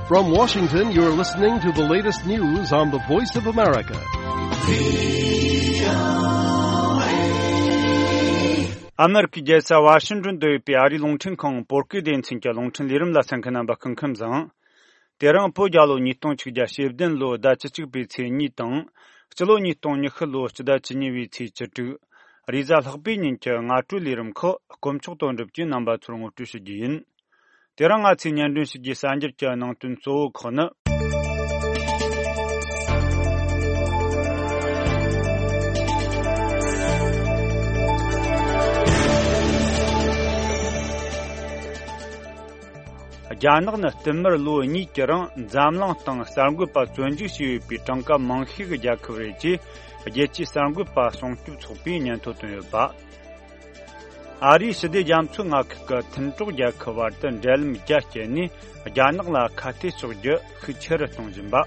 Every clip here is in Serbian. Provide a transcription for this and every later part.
From Washington, you're listening to the latest news on the Voice of America. Amerika jesa Washington do piari longchen kong porki den chinka longchen lirim la sankana ba kangkam zang. Terang po jalo ni tong chigja shebden lo da chichig bi che ni tong. Chlo ni tong ni khlo chda chini wi chi chitu. Riza lhbi nin che nga tu lirim kho komchuk ton rib ji namba churung tu shi jin. Terang a chi nyan dun shi ji sanjir cha nang tun so khona. Janag na timmer lo ni kerang zamlang tang sargu pa chonji si pi tangka manghi ge jakre ji jechi sargu pa songtu chopi nyan to to ba ari side jamchu ngak ka thintuk ja khawar tan del mi ja cheni janag la khati sogje khicher tongjin ba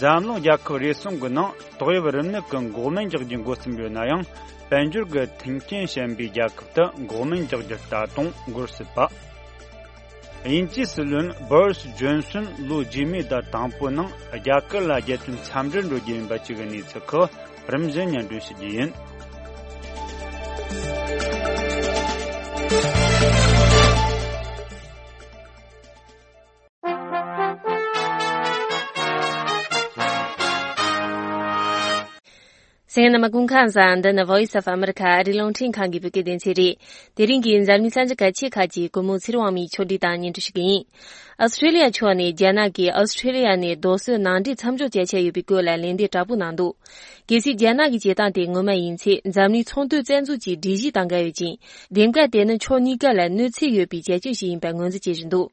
zamlang ja khore song gna toy warin ne kan gomen jigjin gosim yo nayang banjur ge thinkin shambi ja khta gomen jigje ta tong gursipa Inchi Silun Boris Johnson Lu Jimmy da Tamponang Ajakal la Jetun Samdran Rojin Bachigani Tsako Ramzan Yandu Sijiyin. Singana Magunkansan, the Voice of America, Rilongtin Kangi Bukidin City, the Ringin Zamisanjaka Chikaji, Gumutsirwami Choditan into Shigin. Australia Chwani, Janaki, Australia ne Dosu Nandi Tamjo Jacha Yubikula Lindi Tabunandu. Gisi Janaki Jetan de Ngoma Inci, Zamni Tontu Zenzuji, Digi Tangayujin, Denga Denen Chonikala, Nutsi Yubi Jajuji in Bangonzi Jindo.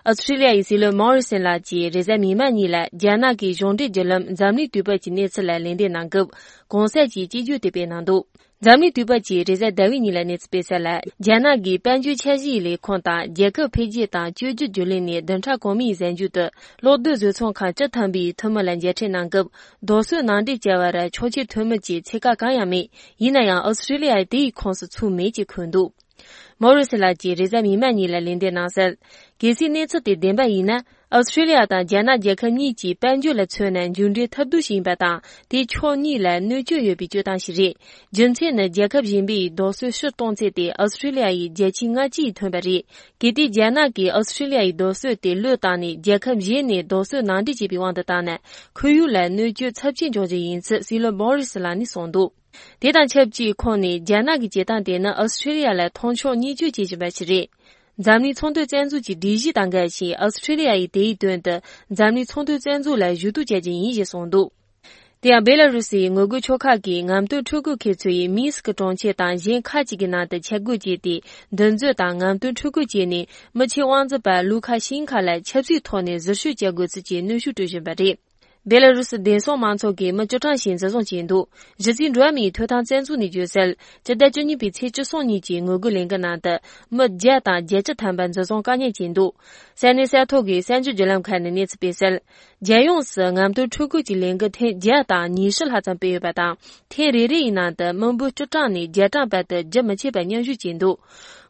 Australia is le Morrison la ji rezami mani la jana ki jonde jelam zamni tuba ji ne tsla lende nangub gonsa ji ju de be nando zamni tuba ji reza dawi ni la ne special la jana gi panju chaji le khonta jeka pheji ta ju jule ne dancha komi zanju de lo de zo chong kha cha thambi thamalan je chen nangub dosu nandi jawara chochi thoma ji cheka ka ya me yina ya Australia de khons chu me ji khundu Morris la ji rezami mani la lende nasal Gesi netsu de denba ina Australia da jana jekani ji banju la chunan junde tabdu shin ba da de choni la nuju ye bi judan shiri junche na jakab jinbi dosu shu tongze de Australia yi jechinga ji thonbari gedi jana ki Australia yi dosu de lu da ni jakab ye ne dosu nandi ji bi wang da na khuyu la nuju chapjin joje yin silo Boris la ni sondu Dedan chepji khoni jana gi jedan de na Australia la thongcho ni ju ji ba shiri Zamni Chongdu Zanzu ji Diji Dangai Chi Australia yi Dei Dun de Zamni Chongdu Zanzu la Yudu Jajin Yi Je Songdu. Dia Belarusi Ngogu Choka gi Ngamdu Chugu Ke Chui Minsk Zhongqie Dan Yin Ka Ji Gina de Chegu Ji Di Denzu Dan Ngamdu Chugu Ji Ni Mechi Wangzi Ba Luka Xinka la Chepsi Tone Zishu Jegu Zi Nushu Dushin Bari. Belarus denso manso ge ma jotan xin zong jindu jizin ruami totan zanzu ni jusel jada juni bi che zong ni ji ngogu lenga na de ma jia da jie zhe tan ban zong ga ni jindu san ni sa to ge san ju jelam kan ni ci besel jia yong se ngam du chu gu ji lenga te jia da ni shi la zan be ba da te ri ri na de meng bu zhe zhang ni jia zhang ba de zhe me che ban nian ju jindu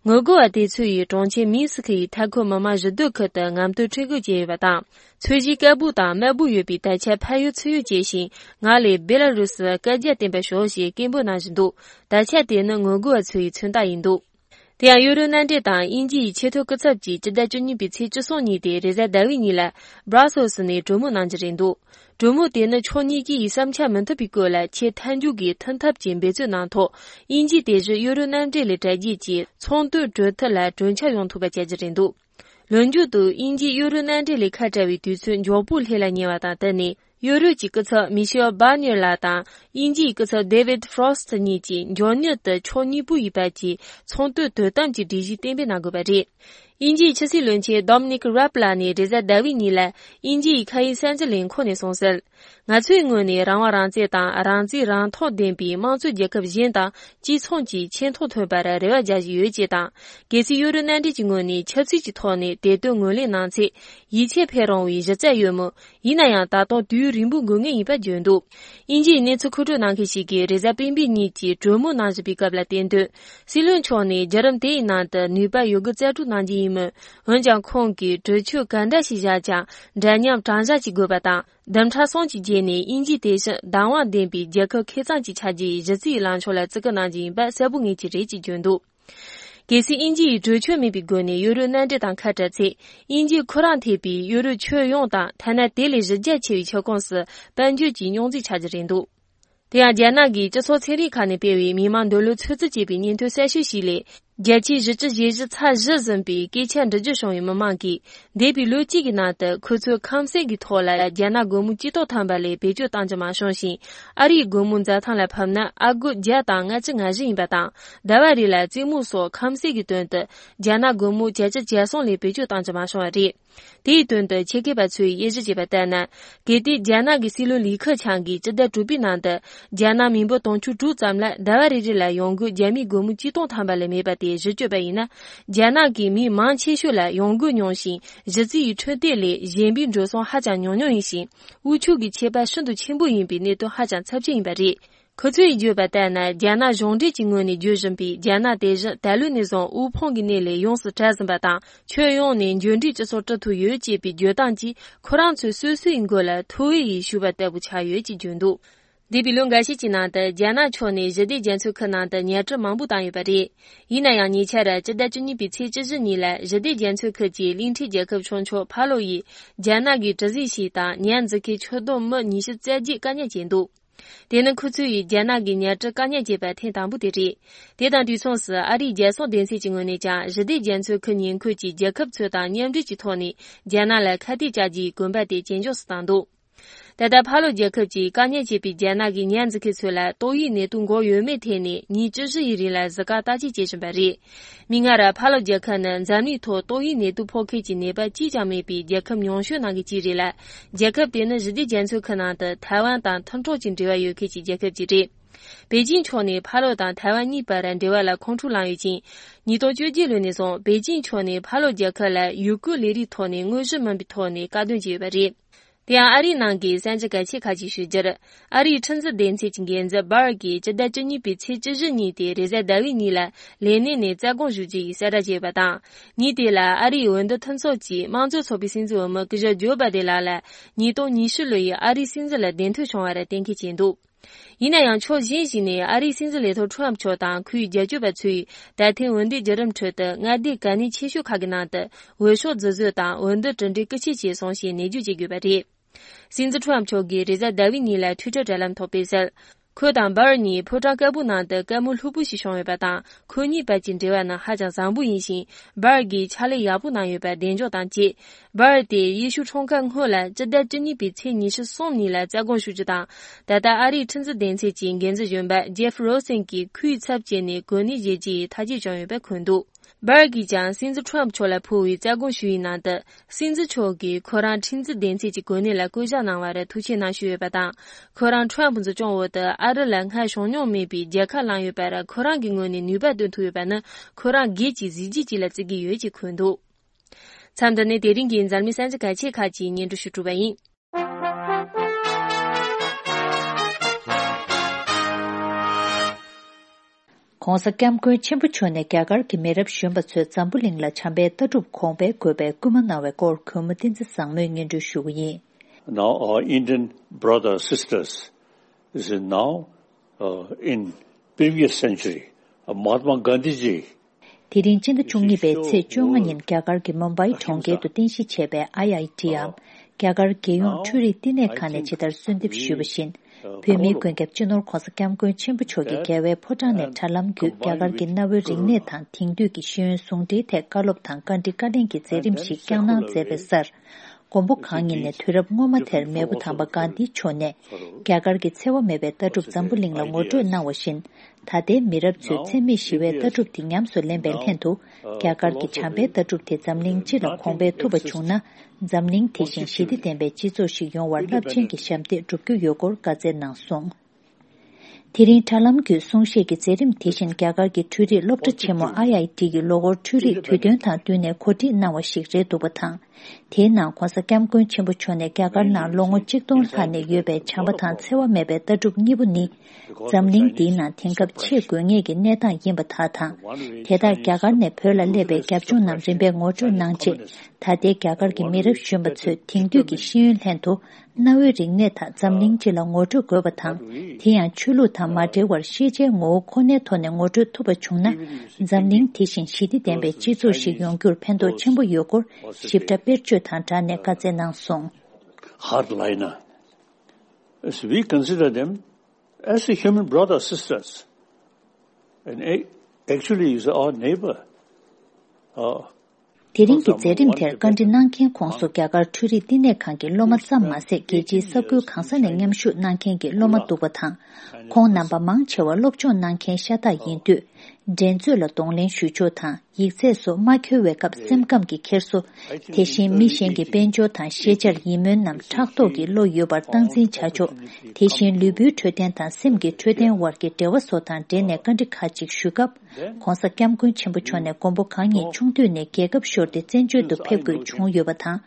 Ngogu a de cui yi zhongqie Minsk yi taiko mama zhidu ke de ngam du chigu jie ba da cui ji ge bu da me bu yu bi dai che pai yu cui yu jie xin nga le Belarus ge jie den be shuo xi gen bu na zhidu dai che de ne ngogu a cui chun da yin du Dian Euro Nandi Dan Inji Cheto Gzab Ji Jida Juni Bi Ci Zhisong Ni De Reza Dawi Ni La Brussels Ni Zhumu Nanjirin Du Zhumu De Ne Choni Gi Samcha Menta Bi Go La Che Tanju Gi Tantab Jin Be Zu Nan To Inji De Zhi Euro Nandi Le Zai Ji Ji Cong Du Zhe Te La Zhun Cha Yong Tu Ba Jia Jirin Du Lun Ju Du Inji Euro Nandi Le Ka Zai Wi Du Cun Jo Bu Le La Nye Wa Da De Ni Yoru ji ge ce Michel Barnier la da Inji ge ce David Frost ni ji Johnny de Choni Bu yi ba ji cong de de dan ji di ji den be na go ba ji Inji 7轮期 Dominic Raab ni Reza Dawi ni la Inji 开30ko ne song sel nga chui ngo ni rang wa rang je da rang ji rang tho den bi mang zu je ke yin da ji chong ji qian tho tho ba ra re ja ji yue je da ge si yu ren nan de ji ngo ni che chi ji tho ni de de ngo le nan chi yi che phe rong wi je zai yue mo yi na yang da dong du rin bu ngo nge yi ba jun du Inji ne chu ku zhe nan ke xi ge Reza bin bi ni ji zhe mo nan ji bi ga la den de si lun chong ni jaram de na de nu ba yu ge zai zu nan ji mu wenjang khong ki zhechu ganda xi ja jang danyam zhangja ji go ba da damcha song ji je ni inji de shen dangwa den bi jie ke kezang ji cha ji zhi lan chuo lai zge na ji ba se bu ngi ji ji jun du给是应季追求没比过呢，有人难这当开着车，应季可让特比有人全用当，他那代理日间去一桥公司，本就金融最差的程度。第二件那个这所车里看的别位，迷茫道路车子这边年头三休息嘞，节气日子节日差日人比给钱这就上于没忙给，那比路几个拿的，可出康生给拖来，见那个木几多摊白嘞，别就当着嘛伤心，阿里个木在摊来拍呢，阿个家当俺这俺人不当，台湾里来这木说康生给端的，见那个木接着接送嘞，别就当着嘛伤的。第一顿的切给白吹也是几百单呢，给的加拿个西路立刻抢给，这在主边难的，加拿民不东出主咱们来，台湾里来用个加密国木机动摊白来没白的，是绝白呢，加拿给米忙切学来用个用心，日子一春点嘞，人民着上还讲用用一心，无求给切白深度全部人比那都还讲差不多一百的。可最就把带呢，加拿用的经过的就是比加拿大人大陆那种无碰的那类用是战争不当，却用呢用的这所这图有几比决当机，可让最岁岁过来，头一修把带不恰有几军度。第比龙个是济南的加拿大呢，日的检测可能的年制忙不当有不的，以那样年前的这代就你比测这是你来日的检测科技临体结构传出帕洛伊加拿大这些西大年子给出动么你是在几概念进度。电能可处于加拿大年这概念结白天当不得的，电当对从事阿里接送电视经过的家，日的检测可年科技结合出当年这几套呢，加拿大开的家机公办的研究是当度。但在帕罗杰科技概念结比加拿大年子开出来，多一年通过原媒体呢，你只是一日来自个大气节省白的。明儿的帕罗杰可能咱里头多一年都破科技那边即将没比杰克用学那个机制来，杰克别人日的检测可能的台湾当通州境之外有科技杰克机制。北京圈内帕罗当台湾日本人对外来空出浪有劲，你到九结论那种北京圈内帕罗杰克来有个里里头呢，我日们比头呢，嘎顿就白的。第二，阿里能给三十个切卡技术节了，阿里趁着电车经验在巴尔给，这代这你比车这日你的，在单位你来，连年呢在公数据三大节不当，你的啦，阿里温的探索机，忙着错比新子我们个热九百的来了，你到你是累阿里新子来电头上来的电气进度。以那样超新型的阿里新子里头传不当可以解决不出，但听温的责任车的，俺的概念持续卡给那的，为说自当温的针对各些节上线你就解决不的。新子传不给在单位你来推着这辆头背上。可当巴尔尼破张该不拿的该木路不是上一百当，可你白金之外呢，还将三不隐形，巴尔给查理亚不拿一百连着当街，巴尔的艺术冲干后来，这代真你比车你是送你来在公数知道，但在阿里趁着电车进跟着原版 Jeff Rosen 给可以插进的国内阶级，他就将一百宽度。巴尔给讲，新子传不出来破为在公属于难的，新子出给可让亲自电车及国内来国家难外的突前难学不当，可让传不子掌握的阿德兰海双鸟没比杰克兰越白的，可让给我的女百吨突越白呢，可让给几自己来自己越级宽度。参的那电影跟咱们三十开切卡几年都是主办人。Khonsa Kamkwe Chimpuchone Gagar ki merab Shumbatsu Zambuling la Chambe Tadrup Kongbe Gobe Gumanawe Kor Kumutinzi Sangme Ngendu Shuyi. Now our Indian brothers, sisters, this is now in previous century, Mahatma Gandhi ji. Tirin Chinda Chungi Be Tse Chunganyin Gagar ki Mumbai Chongge to Tinshi Chebe IITM, Gagar ki Yung Churi Tine Kane Chidar Sundip Shubashin. Pemi Gwengep Chinor Khonsa Kamkwe Chimpuchoge Gawe Potane Talam Gu Gagar ki Nawe Ringne Tan Tingdu ki Shiyun Sungde Te Kalop Tan Kandi Kadin ki Zerim Shi Kyangna Zebe Sar. Gombo Kangin ne Thurab Ngoma Ther Mebu Thamba Gandhi Chone. Gagar ki Tsewa Mebe Tadrup Zambuling la Ngodu Nawashin. Thade Mirab Tsu Tsemi Shiwe Tadrup Tingyam Su Lembel Hentu. Gagar ki Chambe Tadrup Te Zamling Chila Kongbe Tuba Chungna. Zamling Tishin Shidi Tenbe Chizo Shigyon War Labchen ki Shamte Drupkyu Yogor Gaze Nang Song. Tirin Talam Gyu Sungshe ki Zerim Tishin Gagar ki Turi Lopta Chemo IIT ki Logor Turi Tudyon Tang Dune Koti Nawa Shikre Dubatang. Tena Kwasa Kamkun Chimbuchone Gagarna Longo Chikton Hane Yube Chambatan Sewa Mebe Taduk Nibuni Zamling Dina Tinkap Chigungi Neta Yimbatata Teda Gagarne Perla Lebe Gapjunam Rimbe Ngojo Nangche Tade Gagar Gimirab Shumbatsu Tingdu Gishiyun Hento Nawi Ringneta Zamling Chila Ngojo Gobatang Tian Chulu Tamade War Shije Ngo Kone Tone Ngojo Tubachuna Zamling Tishin Shidi Dembe Jizu Shigyongur Pendo Chimbu Yogur Shifta Birchu Tanta Nekaze Nangsong Hardliner. As we consider them as a human brothers, sisters, and actually is our neighbor. Tiring ki zerim ter kanji nangken kongso gyagar turi dine kanki loma tsamma se geji sabgu kansa ne ngamshu nangken ki loma dubatang. Kong namba mang chewa lopcho nangken shata yindu. Denzu la donglin shucho tang, yikse so makyo wekab semkam ki kerso, teshin mishen ki benjo tang shejar yimun nam chakto ki lo yobar tangzin chacho, teshin lubu choten tang semki choten war ki dewa so tang dene kanji kachik shukab, kongsa kiamkun chenpucho ne gombo kanyi chungtu ne gegab shorde zenjo do pepgu chung yobatang,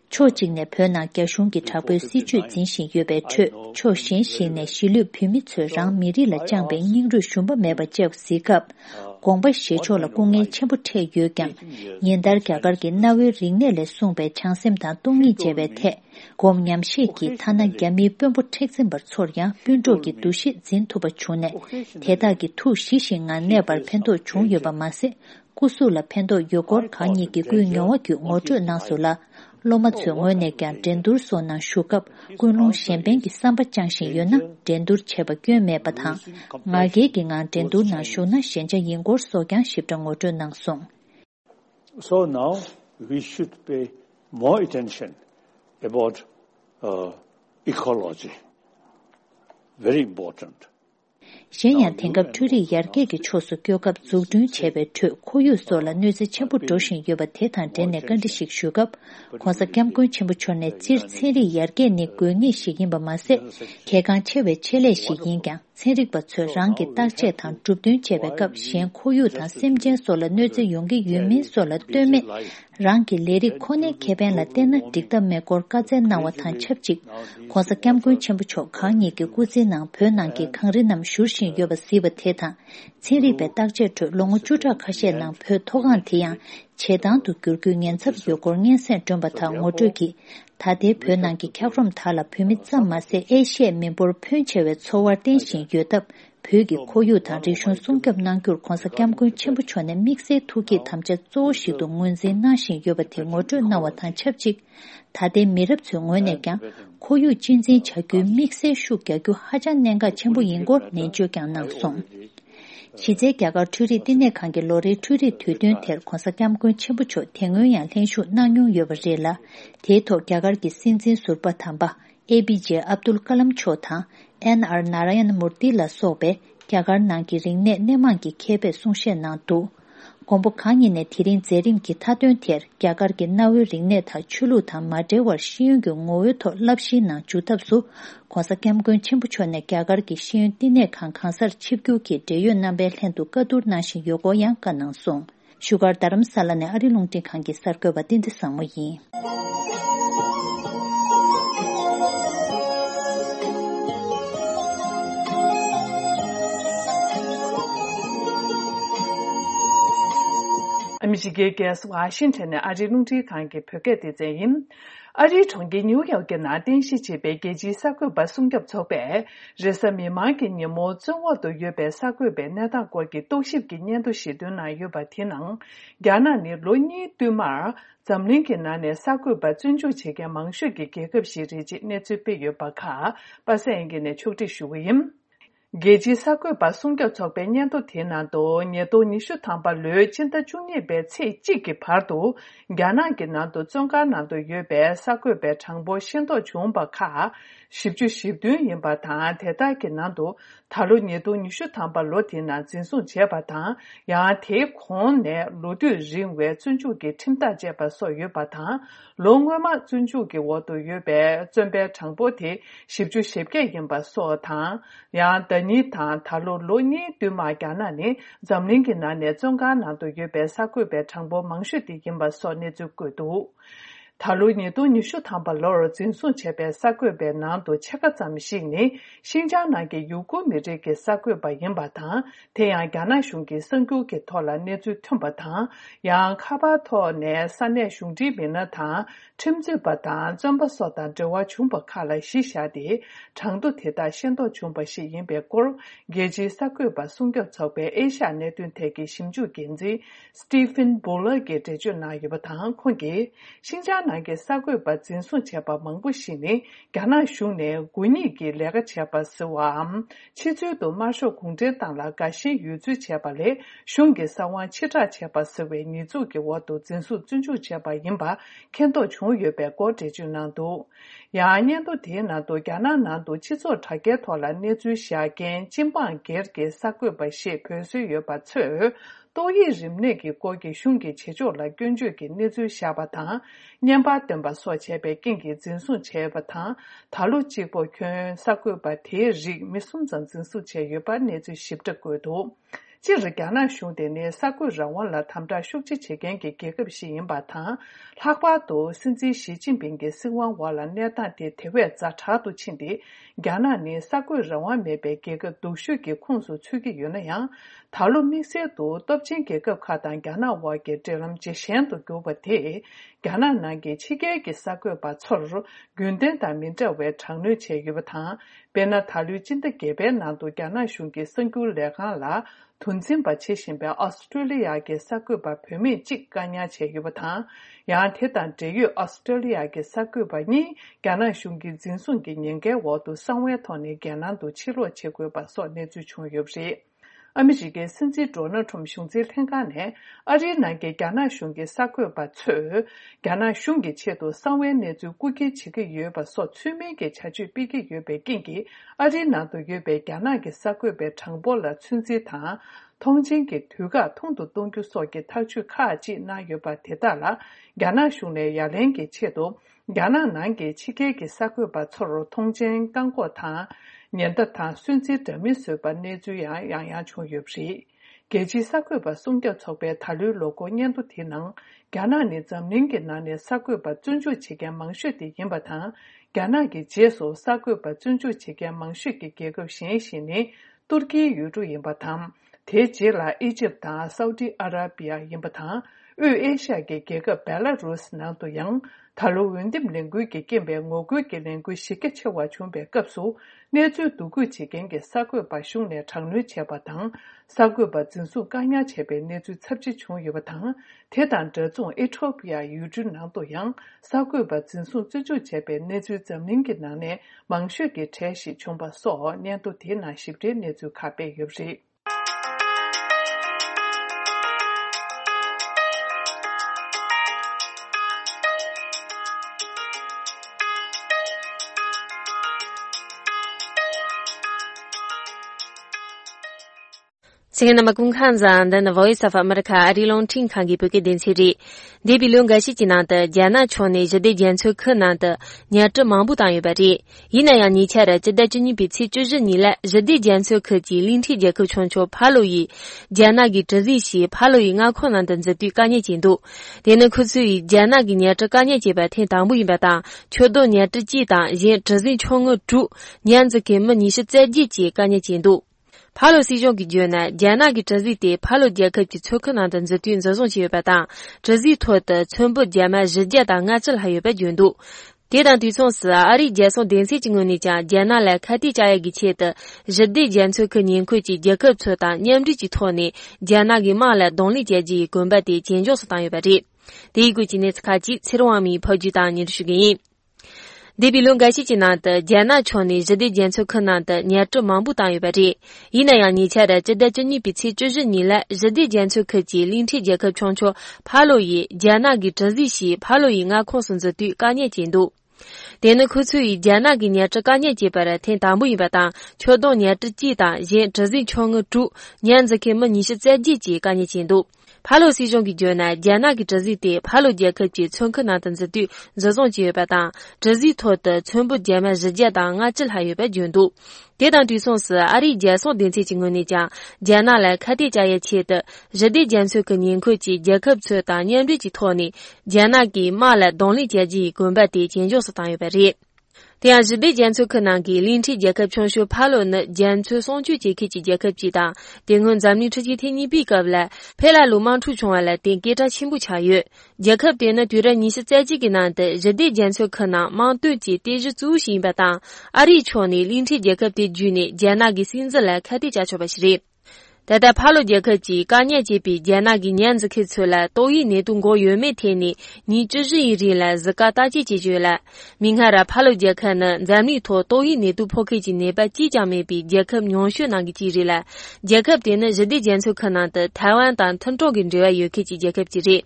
cho jingne pyo na gyashun ki chakbo si chu zinshin yobe cho, cho shin ne shilu pimi tsu rang miri la jangbe nyingru shumba meba jeb sikab, gongba shecho la gongge chenpu te yogyang, yendar gyagar ki nawe ringne le sungbe changsim ta dongi jebe te, gom nyam sheki tana gyami pyompo teksin bar tsorya, pyonjo ki dushi zin tuba chune, teta ki tu shishi nga nebar pento chung yoba masi, kusu la pento yogor kanyi ki kuy nyawa kyu ngocho nasu la, Loma Tsungo ne kyan dendur so na shukab kunlong shenpen ki samba changshin yo na dendur cheba gyo me batang. Nga ge ki nga dendur na shu na shenja yingor so kyan shibda ngoto nang song. So now we should pay more attention about ecology. Very important. Shenyang Tengab Turi Yarge ki chosu gyokab zugdun chebe tu koyu so la nuzi chenpu doshin yoba tetan dene gandishik shugab kwanza kiamkun chenpu chorne zir tsiri Yarge ni guyongi shigin ba mase kegang chebe chele shigin kyang tsenrik ba tsu rangi takche tang zugdun chebe kab shen koyu tang semjen so la nuzi yongi yumin so la dome rangi leri kone keben la tena dikta mekor kaze nawa tang chepchik kwanza kiamkun chenpu chok kanyi ki kuzi nang pyo nang ki kangri nam shurshin yoba siba teta tsiri pe takche tu longu chuta kashe nang pyo togan tiyang chedang tu gyurgu ngensab yogor ngensen jomba ta ngoto ki tade pyo nang ki kyakrom tala pyo mitsam ma se eshe mimbor pyo chewe tsowar tenshin yodab pyo ki koyu tang rishun sungkyab nang gyur konsa kiamkun chenpu chwane mikse tuki tamche zoo shidu ngunze nashin yoba ti ngoto nawa tang chapchik tade mirab tsu ngoyne kyang koyu jinzin chagyu mikse shu gyagyu hajan nenga chenpu yingor nenjo kyang nang song. Shize gyagar turi dine kange lori turi tudun ter konsa kiamkun chenpu cho tengun yang lenshu nangyung yobar la te to gyagar ki sinzin surpa tamba ABJ Abdul Kalam cho tang NR Narayan Murti la sobe gyagar nangki ringne neman ki kebe sungshe nang tu. Gombo kanyi ne tirin zerim ki tadun ter gyagar ki nawi ringne ta chulu ta madewar shiyun gyu ngoyo to lapshi nang jutab su kwanza kiamkun chenpu cho ne gyagar ki shiyun dine kan kansar chipgyu ki deyo nambe lendu kadur nashin yogo yang ka nang song. Shugar daram sala ne arilung ting kanki sarko ba dindi sangmo yin. Michigan gas Washington arirungti kange pyoge de zeyin ari chongge New York na denshi chebe geji sakwe basungyap chobe resami magi nyemo zongwa do yebe sakwe be nada ko gi toship gi nyen do shidun na yoba tinang gyana ni loni tumar zamling ke na ne sakwe ba zunju chege mangshu gi gegep shiri ji ne chupe yoba kha pasenge ne chukti shuwim Geji sakwe ba sungkyab chokbe nyanto tenando nyedo nishu tangpa lo chinta chungye be tse chiki pardo gyana ki nando zonka nando yobe sakwe be changbo shinto chungba ka shibju shibdun yinba tang teta ki nando talo nyedo nishu tangpa lo tena zinsung jeba tang yang te kong ne lodu ringwe zunju ki timta jeba so yoba tang longwe ma zunju ki wodo yobe zunbe changbo te shibju shibge yinba so tang yang ni tang talo lo ni du ma gyana ni zamling ki na ne zonga na do yobe sakwe be changbo mangshu di yinba so ne zu gu du Talu ni do nishu thamba lor jinsun chebe sakwe be nan do chaka zamshi ni Xinjiang na ge yugu mi re ge sakwe ba yinba ta Teyang Gana shungi senggu ge tola nezu tumba ta yang kaba to ne sanne shungji bi na ta chimzi ba ta zomba so ta zhewa chungba kala shisha di changdu teta shendo chungba shi yinbe kor geji sakwe ba sungyo chokbe Asia ne dun teki shimju genzi Stephen Buller ge deju na yuba ta kongi Xinjiang na ge sakwe ba jinsun cheba mangbu shi ni Gana shung ne guni ge lega cheba siwa chizu do ma sho kongze tang la ga shi yu zu cheba le shung ge sawan chita cheba siwe ni zu ge wo do jinsu zunju cheba yinba kendo chung yube go deju na do ya nian do de na do Gana na do chizo tage tola ne zu xia gen jinbang ge ge sakwe ba shi pe su yu ba chu 도이 림네기 고기 슝기 제조라 견주기 내주 샤바타 년바 덤바 소체베 낑기 진순 체바타 달로 지보 권 사고바 대리 미순전 진수 체여바 내주 십적고도 지르가나 슝데네 사고 라원라 탐다 슈치 체겐기 계급시 인바타 학바도 신지 시진빙게 승왕와라 내다데 대회 자차도 친디 가나니 사고 라원 메베 계급 도슈기 콘수 추기 유나야 달로 미세도 덥진 계급 카단 가나와게 데람 제셴도 고바테 가나나게 치게게 사고 바초르 군덴다 민저웨 장르 체유바타 베나 달루진데 게베 나도 가나 슝게 승굴 레가라 돈진바 체신베 오스트레일리아게 사쿠바 페미 직가냐 제유바타 야한테단 제유 오스트레일리아게 사쿠바니 가나 슝기 진순기 년게 워도 상외 토네 게난도 치로 제고바서 내주 총엽시 아미지게 신지 조너 좀 슝지 생각네 아리나게 가나 슝게 사쿠바 츠 가나 슝게 체도 상외 내주 꾸게 지게 유바서 추메게 자주 비게 유베 낑기 아리나도 유베 가나게 사쿠베 창볼라 춘지타 통진게 두가 통도 동교 속에 탈출 카지 나여바 대달라 가나 슝네 야랭게 체도 가나 난게 치게게 사쿠바 초로 통진 강고타 년다타 순지 데미스바 내주야 양야 총엽시 게지 사쿠바 송겨 척배 달류 로고 년도 티능 가나니 점닝게 나네 사쿠바 준주 체계 망슈디 임바타 가나게 제소 사쿠바 준주 체계 망슈기 계급 신신이 터키 유주 임바탐 대제라 이집트 사우디 아라비아 임바타 의에시아게 계급 벨라루스 나도 양 달로 윈딤 랭귀게 게베 ngogu게 랭귀 시게 체와 준비 급소 내주 두구 지겐게 사고바 슝네 장르 체바당 사고바 진수 가냐 체베 내주 첩지 총여바당 대단 저종 에토피아 유준나도 양 사고바 진수 쯔주 체베 내주 점닝게 나네 망슈게 체시 총바소 년도 대나 십대 내주 카베 옆시 Singana Makunkanza and the Voice of America Arilong Ting Kangi Buke Density. Debi Lunga Shichinanda, Jana Chone, Jade Jansu Kananda, Nyata Mambutan Yubati. Yinaya Nichara, Jadajini Bitsi Jujinila, Jade Jansu Kaji, Linti Jaku Choncho, Paloi, Janagi Jazishi, Paloi, Nakonan, and the Dukanya Jindu. Dena Kusui, Janagi Nyata Kanya Jiba, Tentambu Yubata, Chodo Nyata Jita, Yen Jazi Chongo Ju, Nyanzake Manish Zaji, Kanya Jindu. Palo si jong gi jona jana gi zhi de palo jia ke ji chu kan dan zhe dun zhe zong ji ba da zhi to de chen bu jia ma zhi jia da nga zhe hai ba jun du de dan du song si a ri jia song den si jing ni jia jana lai ka di jia gi che de zhi de jian chu ke nian ku ji jia ke chu da nian ji ji to ni jana gi ma lai dong li jia ji gun ba de jian jiu su dan yu ba de de gu ji ne ka ji ci ro mi po ji da ni shu gi Debi Lunga Shichinanda, Jana Choni, Jade Jansu Kananda, Nyatu Mambu Tang Yubati. Yinaya Nichara, Jadajani Bitsi Jujinila, Jade Jansu Kaji, Linti Jaka Choncho, Paloi, Jana Gi Jazishi, Paloi Nga Konsunza Du Kanye Jindu. Dena Kusui, Jana Gi Nyata Kanye Jibara, Ten Tambu Yubata, Chodo Nyata Jita, Yen Jazi Chonga Ju, Nyanzake Manish Zaji Kanye Jindu. Palo si jong gi jona jana gi zhi de palo jie ke ji chun ke na dan zi du zong jie ba da zhi to de chun bu jie ma zhi jie da nga zhi hai yu ba jun du de dan du song si ari jie song din ci jing ni jia jana lai ka de jia ye qie de zhi de jian su ke nian ku ji jie ke zu da nian ri ji to ni jana gi ma la dong li jie ji gun ba de jian jiu su da yu ba ri第二是对检测可能给临时结合全球帕罗呢检测送去结合结合记的，定根咱们出去天你比个来，配来路忙出穷来，定给他全部查阅，结合的呢对着你是在几个难的，热对检测可能忙对接对着组型不当，阿里圈呢临时结合的局呢，将那个薪资来看的加出不是。但在帕罗杰克基刚年级比将那个年子开出来，都以年度过月每天呢，你只是一日来自个大姐解决了。明看了帕罗杰克呢，咱们托都以年度破开今年把即将没比杰克娘学那个节日了，杰克的呢日的检测可能的台湾当腾州跟这外有开始杰克节日。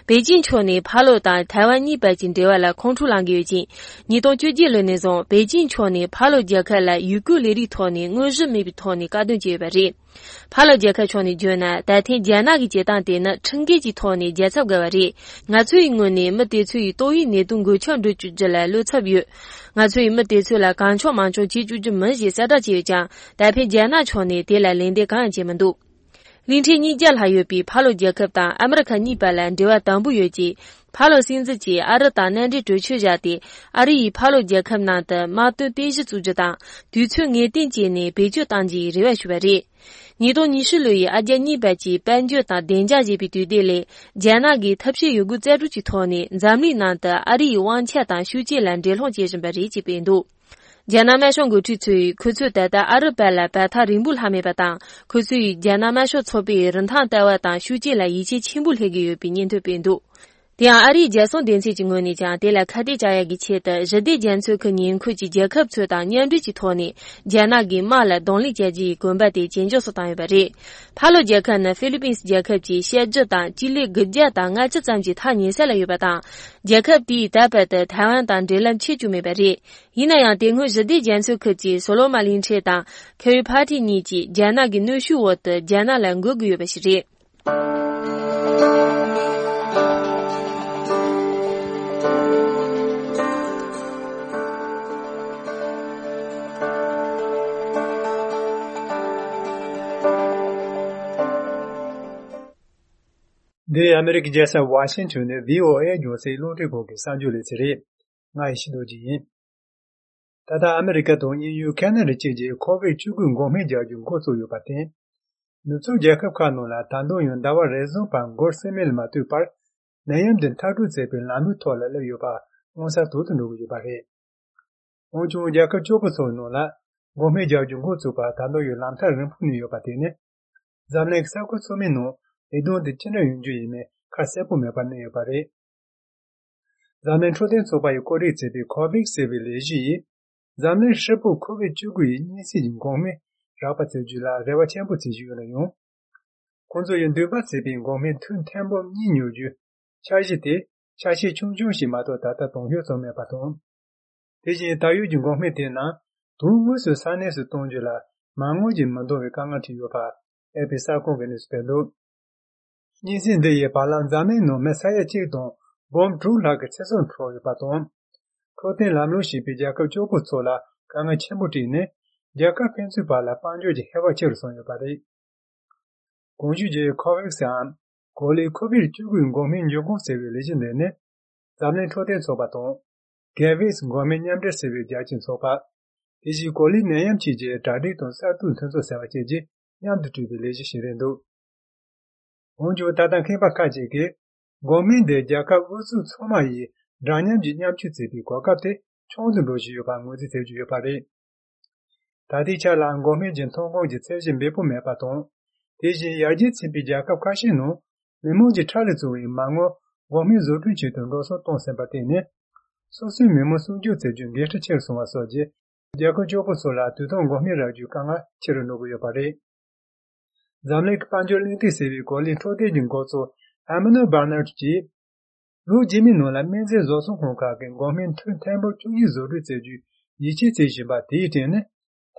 北京圈内帕罗当台湾你北京对外来空出两个月间，你到决定了那种北京圈内帕罗杰克来预估来的托呢，我是没比托呢，高端节白日。帕罗杰克圈内就呢，但天将那个阶段的呢，成个几托呢，检测个白日。我所以我呢，没得出于多一年东国强度组织来录测标，我所以没得出来刚巧忙着记住这门些三大节讲，但偏将那圈内得来领的刚节门度。临天你讲还有比帕罗杰克当阿美克尼白兰对外当不越级，帕罗新自己阿拉大南的追求家的，阿里帕罗杰克那的马顿电视组织当，对村眼定节呢北角当季热外学白的，你到你是类阿家你白级半角当电价级比对的嘞，将那个特别有个赞助去托呢，咱们那的阿里往前当修建兰这浪节生白的级变度。加拿大上个推出，可出带的阿拉伯来把他人不还没把当，可出加拿大说错别人他带外当修建了一切全部那个有比年头变多。第二，阿里加上电视经过你讲，带来看的家一切的，热的检测可年科技结合出当年对其托呢，加拿大马来动力阶级根本的研究所当一百人，帕罗杰克呢菲律宾结合及现制当激励各家当俺这占据他年下来有百当，结合比代表的台湾当这人七九没百人，以那样电控热的检测科技所罗马林车当，可以party年纪加拿大内需我的加拿大各个月百是人。The American Jasa Washington VOA Jose Lontego ke sanjule sire ngai shido ji tata America to EU Canada je COVID chugun gome ja jun ko so yo paten nutsu Jacob Kano la tando yon dawa raison par gor semel ma tu par nayam den tatu se pe lanu tola le yo ba onsa to to no yo ba re onju Jacob chopo so no la gome ja jun ko so ba tando yo lam ta ren pu ni yo paten zamne sa ko so me no Edon de chena yunju yime kasepo me pa ne pare zamen choden so ba yokori tsebe covid sebe leji zamen shepo covid jugu ni si jin gome rapa tseju la rewa chenpo tseju la yon konzo yen de ba sebe gome tun tembo ni nyoju chaji de chashi chungchung shi ma to tata tongyo so me pa ton deji tayu jin gome de na du mu su sane su tongju la mango jin mando we kanga ti yo pa episa ko genis pelo Nizin de ye balan zamen no mesaya chigdon bom dru la ge seson pro ye paton protein lamlo shi bi ja ka chobu chola kanga chemuti ne ja ka pensu bala panjo je hewa chir son ye pare gonju je covid sam goli covid chugun gomin yogo sebe lejin de ne zamen protein so paton gavis gomin nyamde sebe ja chin so pa diji goli neyam chi je dadi ton sa tun so sa che je nyamde tu de leji shirendo onjo tatan kheba kaje ke gomin de jaka usu choma yi ranyam ji nyam chu bi kwa kapte chongdu lo ji yo ba ngozi te ju yo pare tadi cha la gomin jin thongong ji tsejin be pu me pa ton deji yaji bi jaka kashi no memo ji thale zu yi mango gomin zo tu chi ton ro so ton se ba te ne so si memo su ju te jun ge te cher so wa so je jaka jopo so la tu ton gomin ra ju kanga cher no go yo pare Zamlek Panjolin Tisevi Colin Trodin Gozo, Amano Barnard G. Ru Jimmy Nola Menze Zoson Honka and Gomin Temple to Izu Rizeju, Yichi Ziba Titin,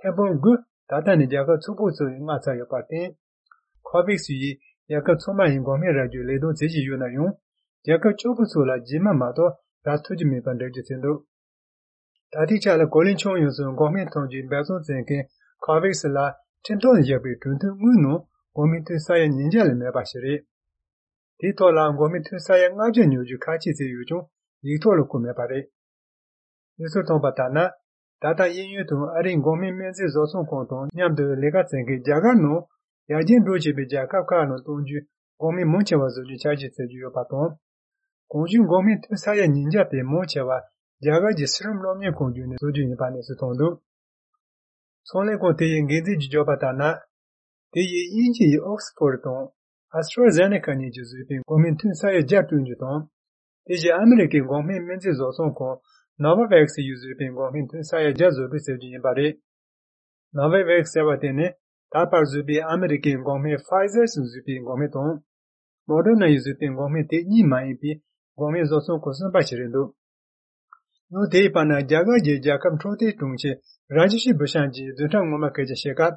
Temple Good, Tata Nijaka Tsubuzu in Matsayo Party. Covics Yi, 야가 초마인 고메라주 레도 제지유나 용 야가 초부소라 지마마도 라투지미 반데지센도 다디차라 골린총 요소 고메 통지 배소 젠게 카베스라 텐톤 예비 튼튼 무노 고미트 사야 닌자를 메바시리 디토라 고미트 사야 나제 뉴주 카치제 유종 이토로 꾸메바레 예소통 바타나 다다 인유도 아린 고미 면제 조송 공동 냠도 레가 젠게 자가노 야진 로지베 자카카노 동주 고미 몬체와즈주 차지세주요 바톤 공중 고미 사야 닌자베 몬체와 자가지 스름롬니 공주네 소주니 바네스 통도 손레고 대인 게지 지조바타나 대이 인지 옥스포르동 아스트라제네카니 주즈빈 고민튼 사야 자tun주동 대지 아메리칸 고민 면제 조송고 노바백스 유즈빈 고민튼 사야 자조비세주니 바레 노바백스 바테네 다파즈비 아메리칸 고민 파이저 수즈빈 고민동 모더나 유즈빈 고민 대이 마이비 고민 조송고 선바치린도 नो देपाना जागा जे जाकम ठोते टुंगचे राजशी बशांजी दुटा मोमा केजे शेका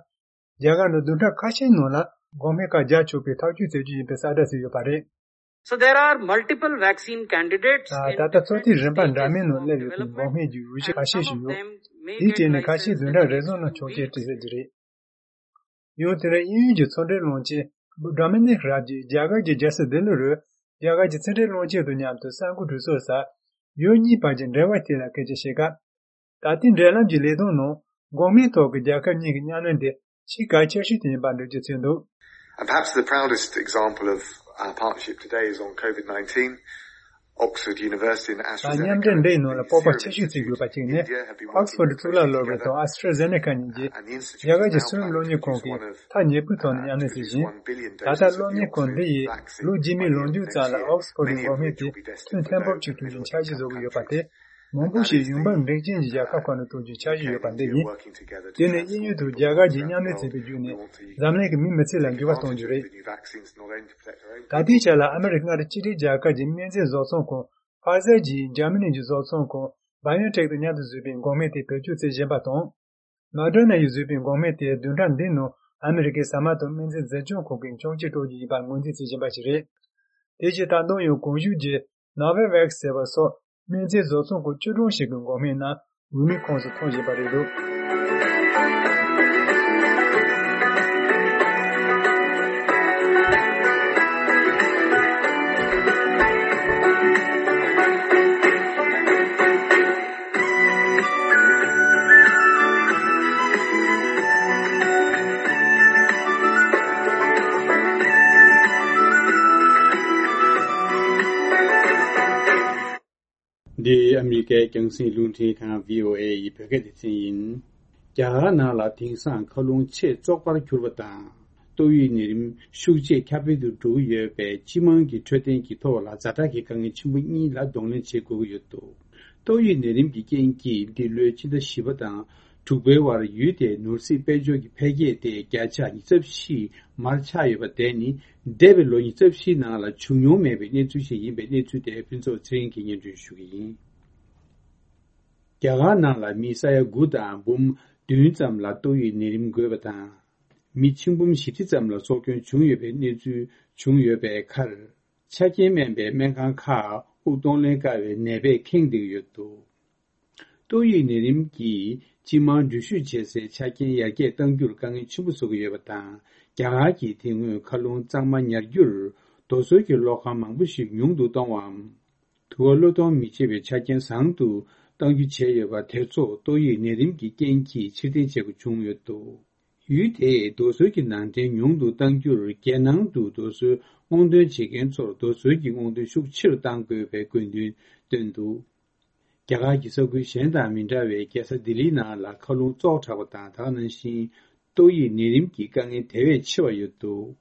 जागा नो दुटा काशे नोला गोमे का जा चोपे थाजु तेजी बेसादा से योपारे So there are multiple vaccine candidates ताता सोती रंपन रामे नो ले गोमे जी उजे काशे शियो दीते ने काशे दुटा रेजो नो छोके तेजे जरे यो तेरे युजे छोरे लोंचे रामे ने राजी जागा जे जैसे दिलरो जागा जे छोरे लोंचे दुनिया तो सांगु दुसोसा योनी पाजन रेवातेला केजेशेगा तातिन रेलाम जिलेदोनो गोमे तोक जाकनी न्यानंदे शिका चेशितिन बांडुजेसेंदो. And perhaps the proudest example of our partnership today is on COVID-19. Oxford University and AstraZeneca. Anyamden de no la popa cheshiti grupa chine. Oxford tula lobeto AstraZeneca nje. Yaga jesum loni konki. Ta nyebuton yanesiji. Tata loni konde lu jimi lonju tsala Oxford gometi tun tempo chitu jin chaji zogu yopate. Mombushi yumban rejin jaka kwano toju chaji yopande ni. Dene inyu tu jaga jinyane tsebijune. Zamne ke mi metsela ngiwa tonjure. Tadi chala American chiri jaka jimmenze zoson ko Pfizer ji Germany ji zoson ko BioNTech de nyadu zubin gometi pechu se jebaton. Moderna yu zubin gometi dundan dino America samato menze zejon ko kin chongji toji ban ngonji se jebachire. Deje tandon yu konju je Novavax sebaso menze zoson ko churun shigun gomena umi konso tonje baredo. The American Gangsi Lunti Kan VOA Peketisin Jahana La Tingsan Kolung Che Zokbar Kurbata Doi Nirim Shuji Capital Do Ye Be Jimangi Trading Kito La Zataki Kang Chimuni La Dongle Che Go Yoto Doi Nirim Genki the Lurchi the Shibata to Bewar Yude Nursi Bejo Pege de Gacha Isepsi Marcha Yobateni Devil Isepsi Nala Chunyo Maybe Netushi Benetu de Pinso Drinking into Shugi Garana la Misaya Guda Bum Dunzam La Doi Nirim Gubata Michimbum Shitizam La Sokyon Chungyobe Netu Chungyobe Kar Chaki Membe Menkan Ka Udon Gawe Nebe King de Yoto Doi Nirim Gi Jiman Jushu Chese Chakin Yage Dangyur Gangi Chibusogu Yabata Gahaki Tingu Kalung Zangman Yagyur Dosoki Loka Mangbushi Yungdu Dongwam Tuolodon Michebe Chakin Sangdu Dangyu Cheyaba Tezo Doi Nerimki Genki Chidin Chegu Chungyoto Yude Dosoki Nangden Yungdu Dangyur Genangdu Dosu Ongdun Chigenzo Dosoki Ongdun Shukchir Danggube Gundun Dundu Gagaki Sogu Shenda Minjawe Gesa Dilina La Kalung Zotawata Tananshin Doi Nirimki Gangi Tewe Chiwa Yoto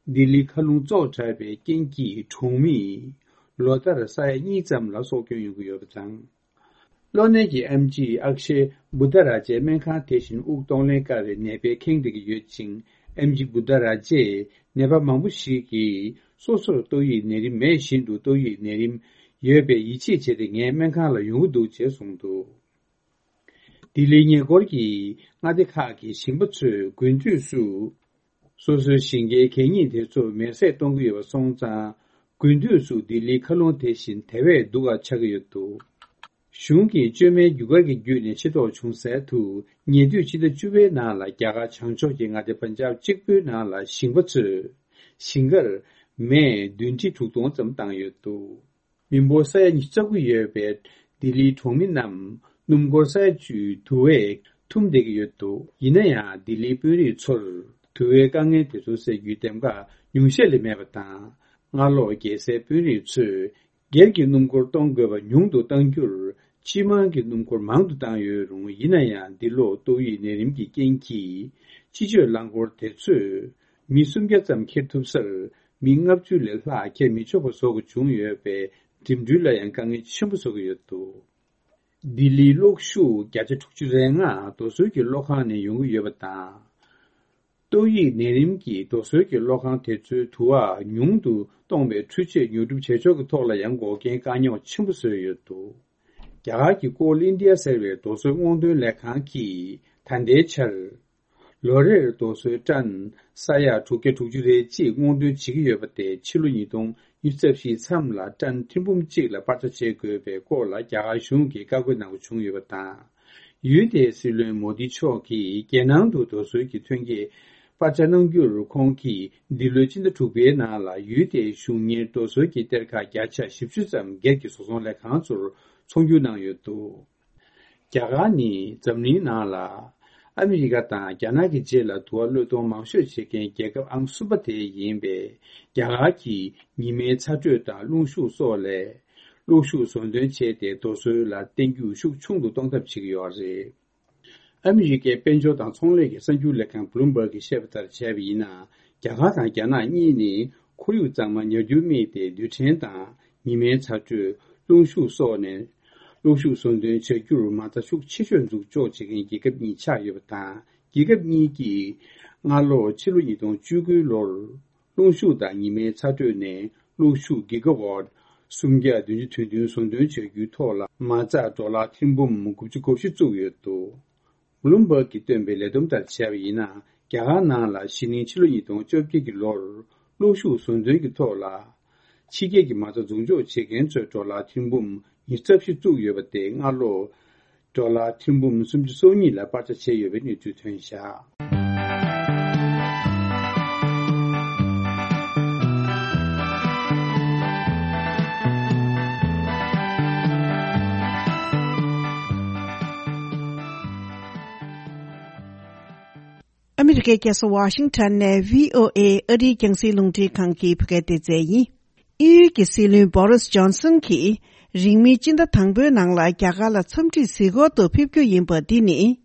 Dili Kalung Zotabe Genki Chungmi Lodara Saya Nizam La Sokyon Yugu Yobzang Lonegi MG Akshe Budaraje Menka Teshin Ukdongle Gare Nebe Kingdigi Yoching MG Budaraje Neba Mambushiki Sosoro Doi Nirim Me Shindu Doi Nirim Yebe Ichi Chede Nge Menka La Yudu Je Songdo Dili Nye Gorgi Ngadekaki Shimbutsu Gunju Su 소소 신계 개인이 대조 매세 동구의 송자 군주수 딜리 칼론 대신 대회 누가 차기였도 슝기 쯤에 유각의 유인 시도 중세투 니두치의 주변 나라 야가 창조행하의 번잡 직부 나라 신부츠 신걸 매 눈치 주동 점 당였도 민보사의 니적위에 딜리 통민남 numgorsa ju tuwe tumdegi yoto inaya dili puri chol tuwe kange teso se yutemga nyungshe le mebata ngalo ge se puri chu gergi numgor tonggo ba nyungdo tangyur chimangi numgor mangdu tangyo rung inaya dilo toyi nerimgi genki chijo langor tesu misumge zam ketupsal mingapju le la ke michobo sogo jungyo be dimdula yang kange chimbu sogo yoto Dili lokshu gyache tukchurenga dosoyki lokhane yungu yobata. Toyi nerimki dosoyki lokhan techu tuwa nyungdu tongbe chuche nyurub chechok tola yango gen kanyo chimbuso yoto. Gyagaki kol India serve dosoy ngondun lekhanki tandechal. Lore dosoy chan saya tuke tukchurechi ngondun chigi yobate chilu nidong 유셉시 참라 짠 팀붐직라 빠져체 그베 고라 야가슌기 가고나고 중요하다 유대스르 모디초기 개낭도 도수기 튕기 빠져능규를 공기 딜로진의 두베나라 유대 슈미 도수기 때가 야차 10주점 개기 소송래 강조를 총규낭요도 야가니 점리나라 아메리카타 야나기 제라 도알로도 마쇼치게 개급 암수바테 임베 야가기 니메 차주다 룽슈소레 룽슈손된체데 도소라 땡규슈 충도 동답치기요지 아메리카 벤조당 총례게 선주레칸 블룸버기 셰프터 제비나 야가타 야나 니니 코유장만 여주미데 류첸다 니메 차주 룽슈소네陆续送的这就是嘛，他属七选组做这个一个米差有大，一个米的俺老七路移动九个路，陆续的你们插队呢，陆续几个话，送家的就推动送的这个套了，嘛在做了听不木估计过去做越多，无论不给准备来动的下边呢，家下拿了新年七路移动就几个路，陆续送的个套了，七个嘛在中间七个做了听不木。이cep시 주요버데 알로 돌라 팀붐 숨지 소니라 빠져체 여베니 주천샤 아메리카에서 워싱턴의 VOA 어디 경시 롱티 관계 부게되제이 이게 실린 보리스 존슨키 링미 진다 당부 낭라 갸가라 첨지 시고도 피표 임버디니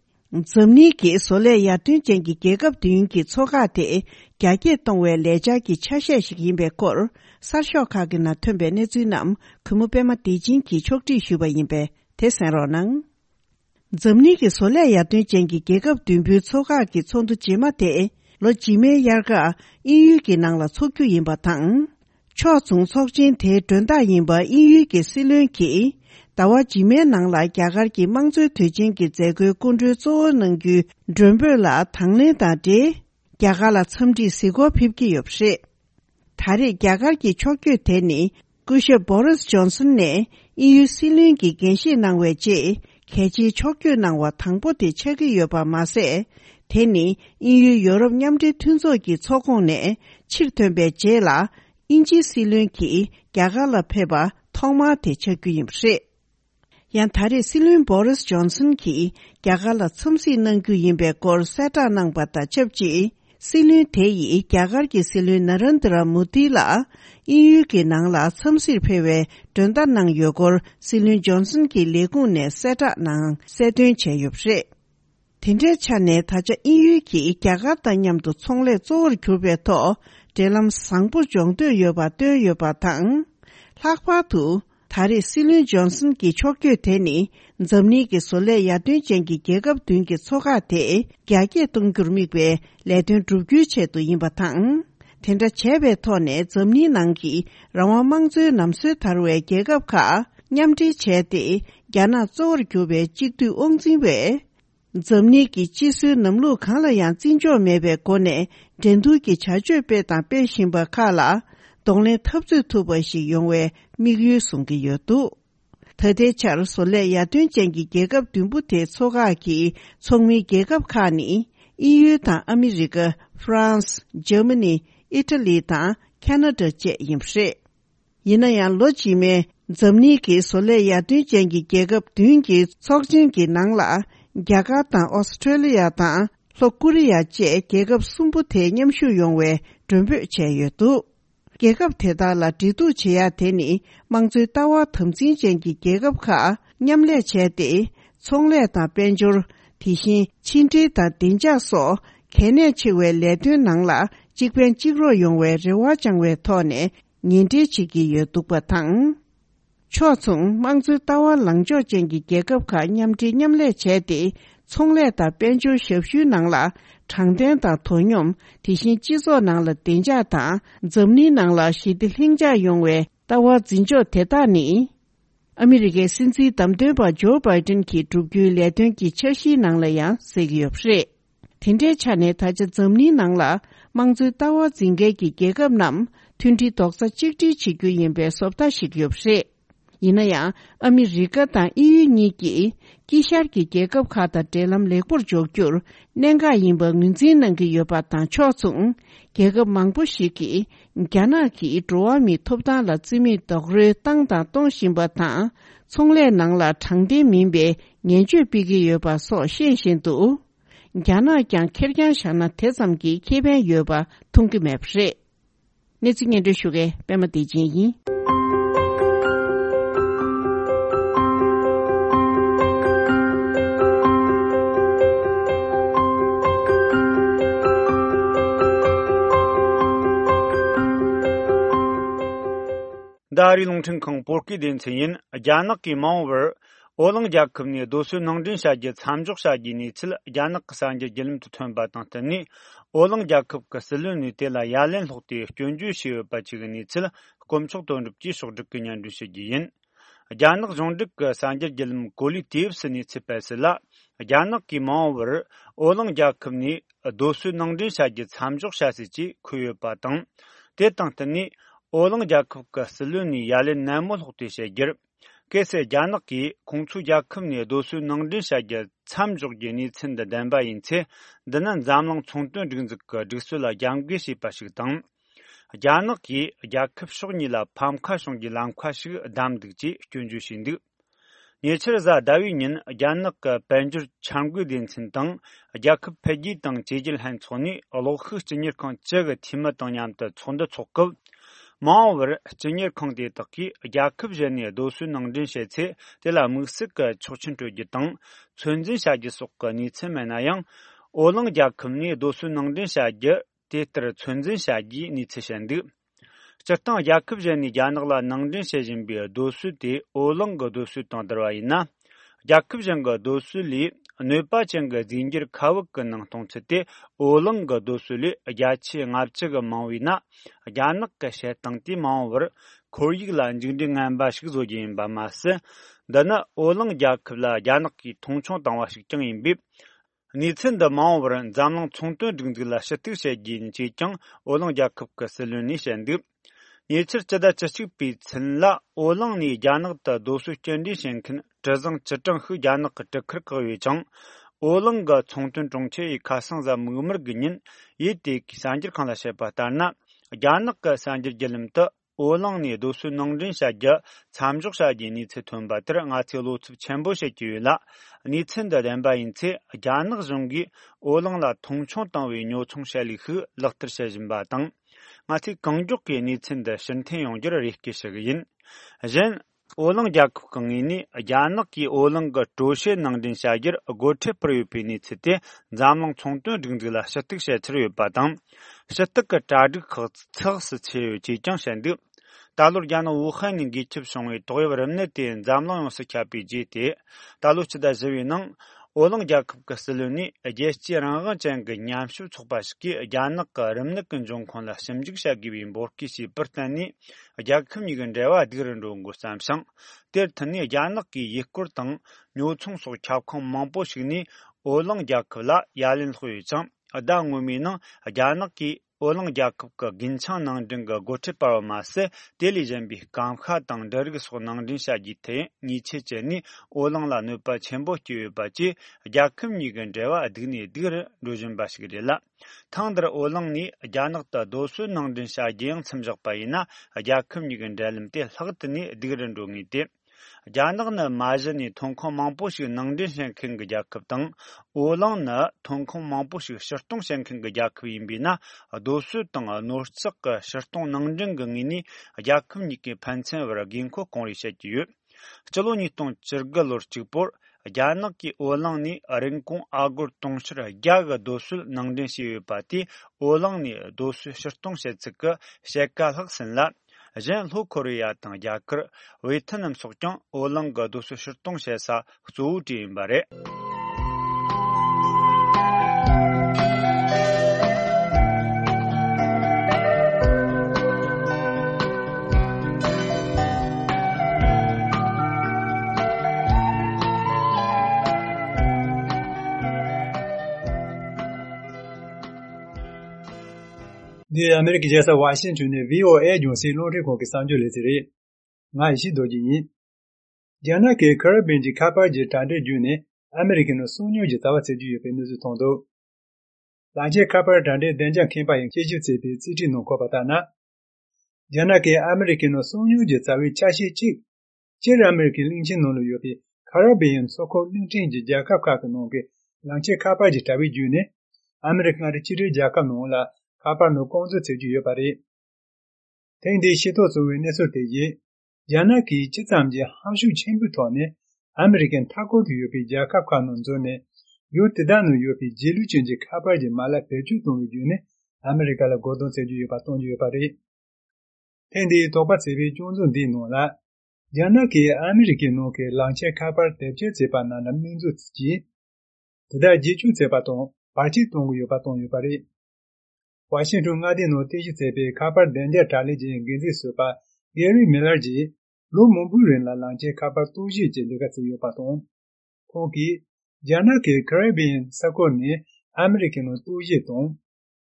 점니기 솔레야 튼쟁기 계급 등기 초가대 갸게 동외 레자기 차셰식 임베콜 사쇼카기나 튼베네 주남 금우베마 디진기 촉지 슈바 임베 대선로낭 점니기 솔레야 튼쟁기 계급 등비 초가기 총도 지마대 로지메 야가 이유기 낭라 초규 임바탕 초중 속진 대전다 인바 이유기 실륜기 다와 지메 낭라 갸가기 망조推进기 제거 군주 조능규 준비라 당내다데 갸가라 첨지 시고 핍기 없이 다리 갸가기 촉규 되니 구셔 보리스 존슨네 EU 실륜기 gen시 낭외지 개지 촉규 낭와 당보대 책이 여바 마세 되니 EU 유럽 냠지 튼소기 초공내 7톤배 제라 인지 실륜기 갸가라 페바 통마 대책규임시 양타리 실륜 보리스 존슨기 갸가라 첨시는 규임베 걸 세타낭 바다 첩지 실륜 대이 갸가기 실륜 나란드라 무디라 이유기 낭라 첨시 페웨 전단낭 요걸 실륜 존슨기 레군네 세타낭 세든 제엽시 텐제 차네 타자 이유기 갸가다 냠도 총례 조르 교베토 델람 상부 정도 여바도 여바당 학파도 다리 실륜 존슨 기 촉규 되니 점니기 솔레 야든 쟁기 계급 등기 초가대 갸게 동그르미베 레든 두규체도 임바당 텐다 제베토네 점니 난기 라와망즈 남스 타루의 계급카 냠지 제대 야나 조르 교베 직두 옹진베 zamni ki jisu namlu khala yang jinjo mebe gone dendu ki chajue be da be shinba khala dongle tabzu tuba shi yongwe migyu sunggi yodu. Tade char sole ya dun jengi gegab dunbu te soga ki chongmi gegab khani EU ta America, France, Germany, Italy ta Canada je yimshe. Yina yang lo ji me zamni ki sole ya dun jengi gegab dun ki sogjin ki nangla gyaga ta Australia ta Korea je gegab sumbu te nyamshu yongwe dunbu che yodu. 계급 대다라 디두 제야 되니 망주 따와 텀진 쟁기 계급카 냠레 제대 총례다 변줄 디신 친지다 딘자소 개내 치외 레드는 낭라 직변 직로 용외 레와 장외 토네 닌디 지기 여두바탕 초총 망주 따와 랑조 쟁기 계급카 냠디 냠레 제대 총례다 변줄 섭슈 낭라长点的通用提醒基座能了定价大怎么能了是的定价用为到我真就太大呢 America 甚至当对把 Joe Biden 去主局来段की确实能了呀这个不是听着前呢他就怎么能了忙着到我真个की结个nam 20 doksa chikti chikyu yimbe sopta shikyu不是 Inaya, Amerika ta EU niki, kishar ki kekab khata telam lekpur jokyur, nenga yimba ngunzin nangi yoba ta chotsung, kekab mangpo shiki, gyana ki drowa mi topda la zimi dogre tangda tongshimba ta, tsongle nangla changde minbe, nyenju bigi yoba so shenshindu. Gyana kyang kergyan shana tezamgi keben yoba tongki mepshe. Netsi shuge, bema di jinyi. Dari Longchen Kong Porki Den Tsin, Janak ki Mauver, Olang Jakubni, Dosu Nongdin Shaji, Samjuk Shaji Nitil, Janak Sanja Gelim to Turn Batantani, Olang Jakub Castelluni Tela Yalen Hoti, Junju Shiva Pachiganitil, Komchok Don Jishok Dukunyan Dushigin, Janak Zondik Sanja Gelim Goli Tips Nitsipesela, Janak ki Mauver, Olang Jakubni, Dosu Nongdin Shaji, Samjuk Shasichi, Kuyo Patang, Tetantani, Olang Jakub ka Siluni Yalin Namul Hoti Shagir, Kese Janaki, Kongchu Jakubni Dosu Nongdin Shagir, Samjuk Yeni Tsinda Danba Yinti, Danan Zamlang Chongtun Rinzik Diksula Yanggishi Pashigtang, Janaki, Jakub Shognila Pamka Shongi Langkwashi Damdikji, Junju Shindik. Nyechirza Dawinin, Janak Panjur Changu Din Tsintang, Jakub Pegi Tang Jejil Han Tsoni, Alokhus Jinir Kong Chega Timatang Yamta Tsonda Tsokub, Mauver, Junior Kong de Taki, Jakub Jeni, Dosu Nangdin Shetsi, de la Musik, Chochin to Gitang, Tsunzin Shagi Soka Nitsemanayang, Olang Jakubni, Dosu Nangdin Shagi, Tetra Tsunzin Shagi, Nitseshendi. Chertang Jakub Jeni Janagla Nangdin Shejimbi, Dosu de Olang Dosu Tandraina, Jakub Janga Dosu Li, Nepa Changa Zingir Kawak Nang Tongchete, Olang Dosuli, Yachi Ngapchega Mawina, Janak Shetangti Mawer, Korigla Jinding and Bashik Zojin Bamas, Dana Olang Jakla Janaki Tongchong Tangwashik in Bip, Nitsin the Mawer and Zamlang Chongtun Dingla Shatik Shagin Chichang, Olang Jakub Kaselunish and Dip. Nature Chada Chashik Pitsenla, Olang Ni Janak the Dosu Chendi Shenkin, Chazang Chatang Hu Janak Tekirkawichang, Olang ga Chongtun Chongche, Kasang the Mummer Ginin, Yeti Sanjir Kala Shepatana, Janak Sanjir Gelimta, Olang Ni Dosu Nongdin Shaja, Samjuk Shaji Nitsetun Butter, Natilut Chambo Shekula, Nitsen the Demba Inti, Janak Zongi, Olang la Tongchong Tangwi Nyo Chong Shali Hu, Lakter Shajin Batang. Ngati Kangjuk ki Nitsin the Shantin Yongjur Rikishagin. Jen Olang Jakub Kangini, Janak ki Olang Toshe Nangdin Shagir, a Gote Prayupi Nitsite, Zamlang Chongtun Dingla Shatik Shatri Badam, Shatak Tadik Tels Chichang Shandu, Talur Jana Wuhan in Gichip Song, Toyvernet in Zamlang Sakapi GT, Taluch da Zevinang, Olang Jakub Castelluni, a gesture Rangachang Nyamshu Topashki, Janak Remnik and John Konla Semjik Shagi in Borkisi Pertani, a Jakum Yugandeva Dirandungo Samsung, Tertani Janaki Yikurtang, New Chung So Chapcom Mamposhini, Olang Jakla Yalin Huichang, Adang Wumina, Ajanaki, Olang Jakka, Ginchang Nangdinga, Gotiparamase, Diligent Kamka, Dang Dergis for Nangdin Shagite, Nietzsche Jenny, Olang La Nupa Chembo Baji, Jakim Nigandeva, Adini Dir, Rujan Bashgirilla. Tandra Olangni, Janakta Dosu Nangdin Shaging, Samjakpaina, Jakim Nigandalim, Hagtani, Diran Rungite. Janagna Majani Tongkong Mampushi Nangdin Shanking Jakaptang, Olangna Tongkong Mampushi Shartung Shanking Jakimbina, a dosu tang a Norsak Shartung Nangdin Gangini, a Jakim Niki Pansen Ginko Kongri Shatu. Chaloni Tong Chirgalor Chipor, a Janaki Olangni, a Rinkong Agur Tongshira, Yaga Dosul Nangdin Shiu Pati, Olangni Dosu Shartung Shetsika, Shekal Haksenla. Jen Lu Korea Tang Jakar, Vietnam Sokjang, Olang Gadusu Shirtong Shesa, Zhu Jimbare. The American Jasa Washington VOA Junsi Lori Koki Sanjo Lesiri, Naishi Dojini, Janake Kerbenji Kappa Jetande June, American Sunyo Jetawa Seju Penuzu Tondo, Laje Kappa Dande Denja Kimpa in Jeju Sepi, City no Kopatana, Janake American Sunyo Jetawi Chashi Chik, Jerry American Linchin no Yopi, Caribbean so-called Linchin Jakaka Noke, Lanche Kappa Jetawi June, American Chiri Jaka Nola, Kappa no Konzo Seju Yopari. Tendi Shito Suwe Neso Teji, Janaki Chitamji Hanshu Chembutone, American Taco Yopi Jaka Kanonzone, Yotedano Yopi Jilu Chinji Kappa Mala Peju Tonjune, America la Gordon Seju Yopaton Yopari. Tendi Topa Sevi Jonzo Di Nola, Janaki American Noke Lanche Kappa Teje Sepanana Minzu Tji, Tada Jichu Sepaton, Parti Tongu Yopaton Yopari. Washington Ngadi no Teji Sepe Kappa Dende Taliji Gizi Supa, Gary Millerji, Lu Mumburin la Lanche Kappa Tuji Jeligasi Yopaton. Konki, Janaki Caribbean Sakoni, American no Tuji Ton,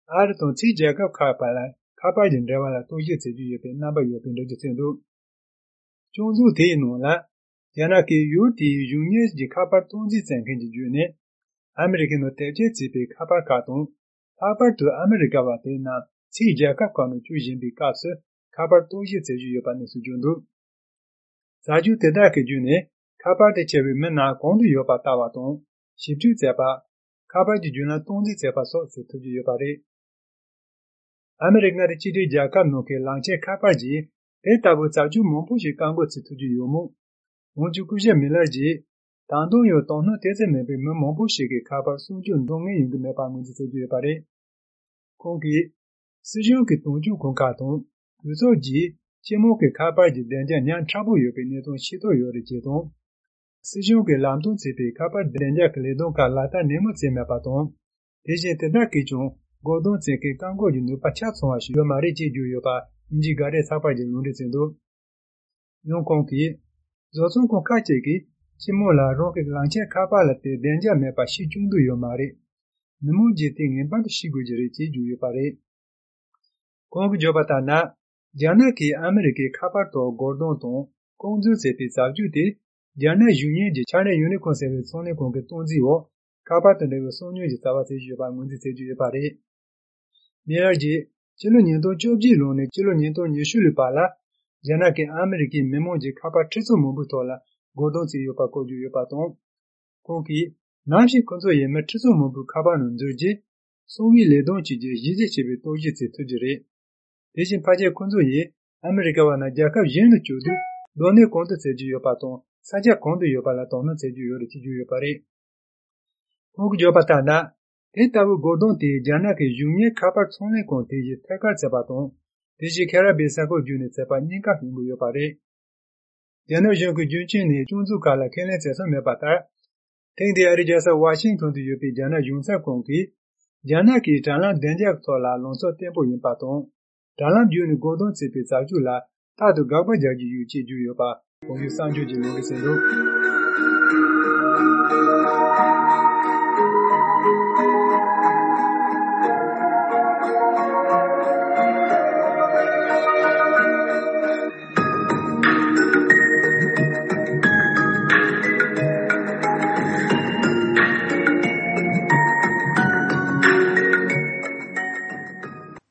Arton T. Jacob Kappa, Kappa Jindravala Tuji Seju Yope, number Yopin Regisendu. Jonzu Te no la, Janaki Yuti Juniors de Kappa Tunji Senkenji June, American no Teji Sepe Kappa Katon, Kappa to America Vatina, T. Jacob Kano Jujin Picasso, Kappa Tuji Seju Yopanesu Jundu. Saju Tedake June, Kappa de Chevi Mena Kondu Yopatavaton, Shibju Zepa, Kappa de Juna Tondi Zepa So Setuju Yopari. American Chidi Jacob Noke Lanche Kappa Ji, Etabu Saju Mompushi Kango Setuju Yomu, Unjukuja Millerji, Tandon Yo Tono Tese Mebe Mompushi Kappa Sunjun Dongi Yungumepa Munzi Seju Yopari. Kongi, Sujun Ki Tonju Konkaton, Yuzo Ji, Chemo Ki Kappa Ji Denja Nyan Chabu Yopi Neton Shito Yori Jeton, Sujun Ki Lamton Sepe Kappa Denja Kledon Ka Lata Nemo Semepaton, Deje Teda Kichon, Godon Seke Kango Yunu Pachatson Ashi Yomari Jeju Yopa, Inji Gare Sapa Ji Lundi Sendo. Yon Kongi, Zoson Konkacheki, Chemo La Roke Lanche Kappa Late Denja Mepa Shichundu Yomari. Namo Jeti Nimbat Shigujiri Jeju Yopari. Kong Jobatana, Janaki America Kapato Gordon Ton, Kongzu Sepi Sabjuti, Jana Union de China Unicorn Service Sony Kongetonzio, Kapato de Sonio de Savasi Juba Mundi Seju Yopari. Miraji, Chilo Niento Joji Lone, Chilo Niento Nishuli Pala, Janaki America Memoji Kapatriso Mubutola, Gordon Yopa Koju Yopaton. Kongi, Nashi Konzo Yeme Triso Mubu Kabanon Zurji, Sowi Ledon Chiji Yizi Chibi Toji Tujiri. Deshin Paje Konzo Ye, America Wana Jaka Yen Chudu, Done Konto Seju Yopaton, Saja Konto Yopala Tono Seju Yori Tiju Yopari. Kong Jopatana, Etabu Godon Te Janaki Junior Kappa Sone Konteji Tekar Sepaton, Deji Kara Besako Juni Sepa Nika Hingu Yopari. Jano Jonku Junchini Junzu Kala Kene Sesa Mepata, Tendi Arijasa Washington to Yopi Jana Junsa Konki, Janaki Talan Denjak Tola Lonso Tempo Yimpaton, Talan Juni Godon Sepi Sajula, Tadu Gaba Jaji Yuchi Juyopa, Oyu Sanju Jinogi Sendo.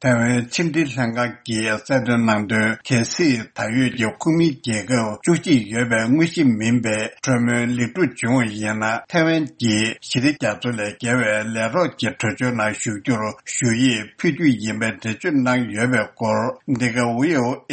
台湾清理香港嘅在的人的开始大约有公民结构主席原本我是明白专门力度中一样啦台湾嘅实力家族来结为来到接触就那修就学业批注因为的就那原本过那个我有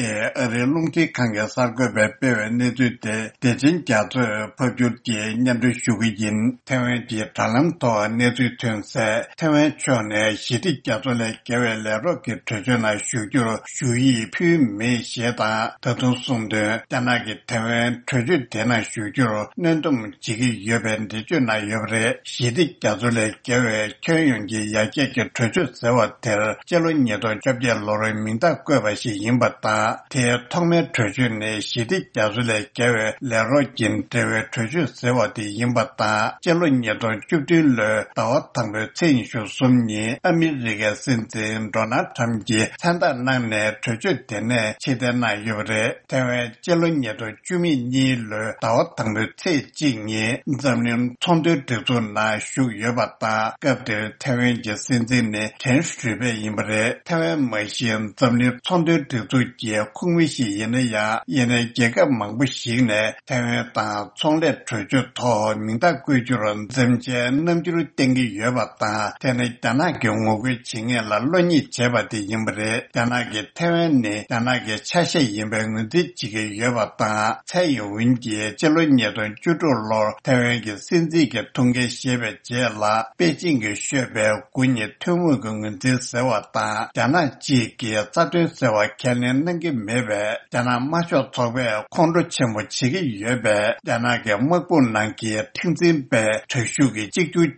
龙体看个三个白白文那对的真家族破就的年度学个人台湾嘅大浪多那对团赛台湾圈呢实力家族来结为来到给出就那修就学业批没写大这种送的在那个台湾出去的那修就那种几个原本的就那有的实力家族来结为全用的也这个出去生活的结论年度这边老人民的国外是引不大的他们出去呢实力家族来结为来到进这位出去生活的引不大结论年度就对了到他们程序送你阿米这个甚至到那他们的参加那呢出去的呢现在那有的台湾结论年度居民你了到他们才今年咱们从头到做那修也不大个的台湾的现在呢全是被因不的台湾没线咱们从头到做结空位是因为呀因为这个忙不行呢台湾大从来出去讨民大规矩了咱这能就是定个也不大但是在那个我会经验了乱你结巴的因不的在那个台湾呢在那个恰些因为我的几个也不大才有问题结论年段就做了台湾的现在的通过写白结了北京的学白过年推我跟我的生活大在那几个这段生活可能能够明白在那马上做白看着全部几个月白在那个莫不能给听真白退休的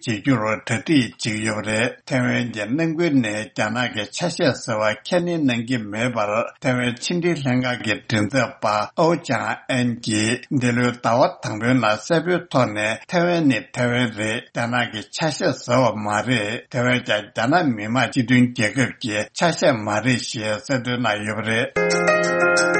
解决了特地几个月的台湾的能够呢在那个恰些生活可能能够明白台湾清理香港的政策把欧加安吉的了到他们那代表团呢台湾的在那个恰些生活马的台湾在那密码这段结构的恰些马的些在的那有的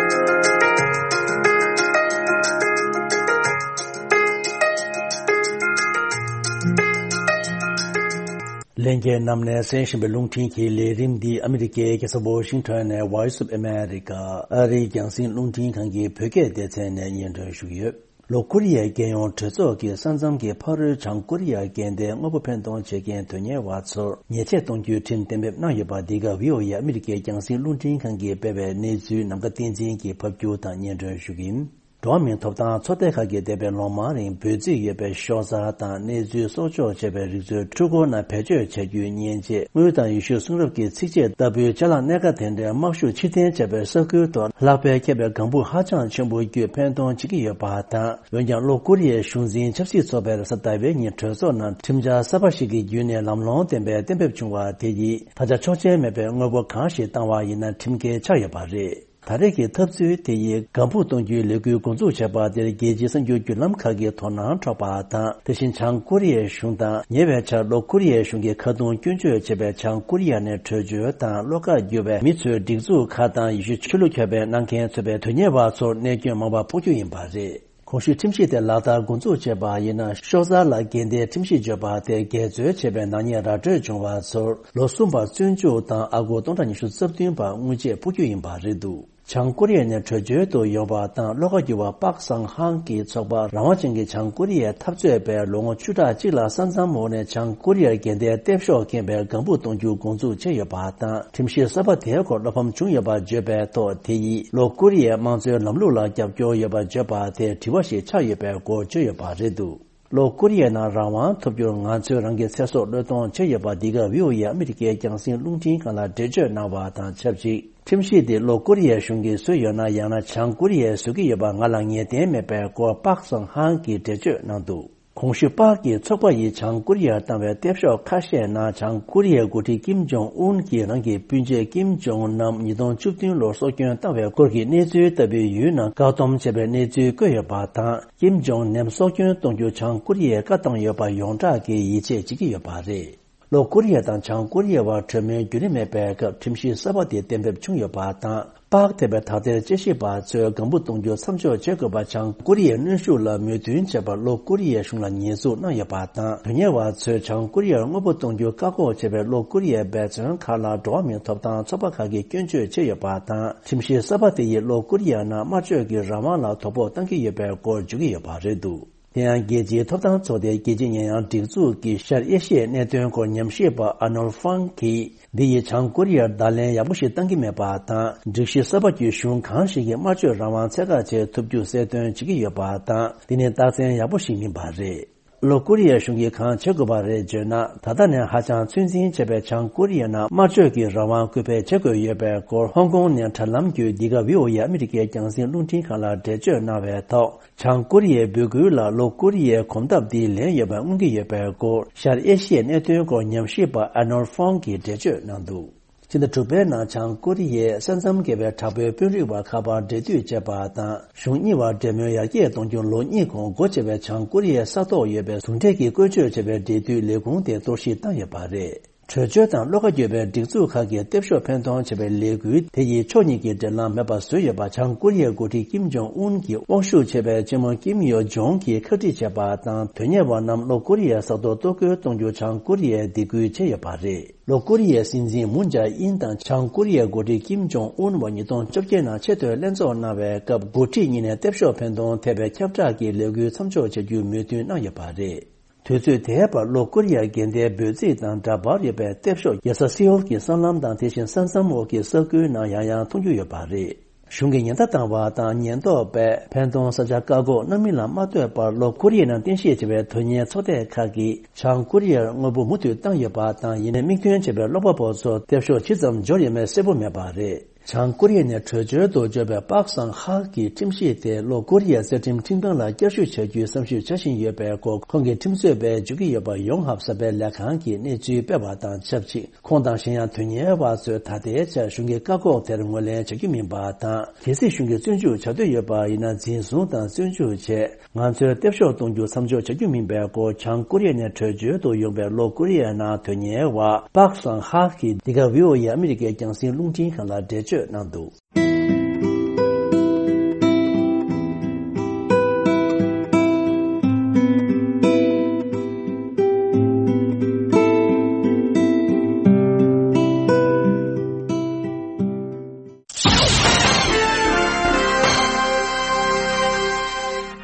Lenge namne senshimbe lungting ki lerim di Amerike ke Washington ne Voice of America ari gyangsin lungting kangi pyoge de tsene nyendo shuye lo Korea genyon tso ke sanjam ke par chang Korea gende ngobo pendong che gen tonye watso nyeche tongju tin tembe na yoba diga vio ya Amerike gyangsin lungting kangi bebe nezu namga tinjin ki phapju ta nyendo shugim Domin topdan chotekage debe lomarin bözi yebe shoza dan nezu sojo jebe rizyo chugo na pejo chegyu nyenje mudan yushu sungrubki tsikje dabu jala nega tende makshu chiten jebe sokyo to lakbe kebe gambu hajan chenbu gyu pendong chigi yoba dan yonjang lo Korea shunzin chapsi sober sadabe nye chozo na timja sabashigi yune lamlong dembe chungwa teyi taja choche mebe ngobo kanshi tangwa ina timge chayoba re 다르게 탑수의 대의 간부 동주 레규 공조 제바들 계지선 교규람카게 토난 쳐바다 대신 장코리에 슝다 예배차 로코리에 슝게 카동 균주 제배 장코리아네 저주다 로가 유배 미츠 딩주 카다 이슈 킬로케베 난켄 세베 되냐바소 내게 마바 보주인 바제 공시 팀시대 라다 공조 제바이나 쇼자라 겐데 팀시 제바데 계저 제배 나니아라 저종와소 로숨바 준주다 아고 동단이슈 섭딩바 무제 보주인 바제도 장코리아의 저주도 여바당 로가지와 박상한기 저바 라마징기 장코리아 탑주에베 롱어 추다지라 산산모네 장코리아 겐데 대표 겐베 건부 동주 공주 제여바당 팀시 서버 대고 로범 중여바 제베 또 대이 로코리아 망저 남로라 잡교 여바 제바데 디워시 차여베 고 제여바제도 로코리아나 라완 토비오 나저랑게 세소 로동 제여바 디가 위오야 아메리게 장신 룽진 칸라 데저 나바당 첩지 팀시데 로코리아 슝게 소요나 야나 창코리아 수기 여바 ngalangye 데메베 고 박성 한기 데저 나도 공시바기 척바이 창코리아 담베 대표 카셰나 창코리아 고티 김정운 기랑게 빈제 김정은 남 이동 축딩 로소견 담베 거기 내주 더비 유나 가동 제베 내주 거여바다 김정은 남 소견 동조 창코리아 가동 여바 용자게 이제 지기 여바레 로코리아 당 창코리아와 처면 규림의 배급 팀시 서버디 댐베 중여바다 Park Tebe Tate Jeshiba Tse Gambu Tongjo Samcho Chekoba Chang Korea Nunshu La Mutun Cheba Lo Korea Shungla Nyesu Na Yapatan Tunyewa Tse Chang Korea Ngobo Tongjo Kako Chebe Lo Korea Betson Kala Dwaming Toptan Chopakagi Kyuncho Che Yapatan Timshi Sabate Ye Lo Korea Na Machogi Ramala Topo Tanki Yebe Kor Jugi Yaparedu Tian Geji Toptan Tsode Geji Nyang Dikzu Ki Shar Yeshe Netun Ko Nyamsheba Anol Fanki Diye Chang Korea Dalen Yabushi Tangi Meba Tan Dikshi Sabaki Shun Kanshi Macho Rawan Tsega Che Tupju Setun Chigi Yoba Tan Dine Tasen Yabushi Mimbare Lo Korea Shungi Khan Chegobare Jena Tadane Hachang Chunzin Chebe Chang Korea Na Macho Ki Rawan Kupe Chego Yebe Kor Hong Kong Nyan Talam Gyu Diga Vio Ya Amerike Jangsin Luntin Kala Dejo Na Ve Tao Chang Korea Bugu La Lo Korea Kondab Di Len Yebe Ungi Yebe Kor Shar Eshe Netun Ko Nyamshiba Anor Fongi Dejo Nandu Chinda Tupe Na Chang Korea Sansam Gebe Tabe Pyuriwa Kaba Dedu Jeba Dan Shunyiwa Demyo Yage Dongjong Lo Nikong Go Chebe Chang Korea Sato Yebe Sunteki Gojo Chebe Dedu Legong De Doshi Dan Yebare Chojo Dan Loka Yebe Dikzu Kage Depsho Pentong Chebe Legu Teyi Choniki Delan Meba Suyeba Chang Korea Goti Kim Jong-un Ki Wangshu Chebe Jemo Kim Yo-jong Ki Kati Cheba Dan Tunyewa Nam Lo Korea Sato Tokyo Tongjo Chang Korea Digu Che Yebare Lo Korea Sinzin Moon Jae-in Dan Chang Korea Goti Kim Jong-un Wa Nidong Chokje Na Cheto Lenzo Nawe Kab Goti Nine Depsho Pentong Tebe Kyabja Ki Legu Samcho Cheju Mutu Na Yebare Tuzu Teheba Lo Korea Gende Bezi Dan Dabar Yebe Tepsho Yasa Seoul Ki Sanlam Dan Teshin Sansamo Ki Soku Na Yaya Tongju Yebare Shungi Nyanta Tangwa Dan Nyento Be Pentong Saja Kago Namila Matwe Par Lo Korea Nan Tenshi Chebe Tonye Tsote Kagi Chang Korea Ngobu Mutu Dan Yeba Dan Yine Mingtuen Chebe Lopa Boso Tepsho Chizam Joryeme Sebo Mebare Chang Korea ne Chojo Do Jebe Baksang Haki Timshi Te Lo Korea Setim Tingdang La Gyashu Cheju Samshu Chashin Yebe Ko Kongi Timsue Be Jugi Yeba Yonghap Sabe Lakhangi Ne Ju Beba Dan Chapchi Kondang Shenyang Tunye Wazo Tate Cha Shungi Kako Terngole Chagi Minba Dan Tesi Shungi Zunju Chado Yeba Ina Zinsun Dan Zunju Che Nganzo Tepsho Tongju Samjo Chagi Minba Ko Chang Korea ne Chojo Do Yongbe Lo Korea Na Tunye Wa Baksang Haki Diga Vio Ya Amerike Jangsin Lungting Kala Dejo Nandu.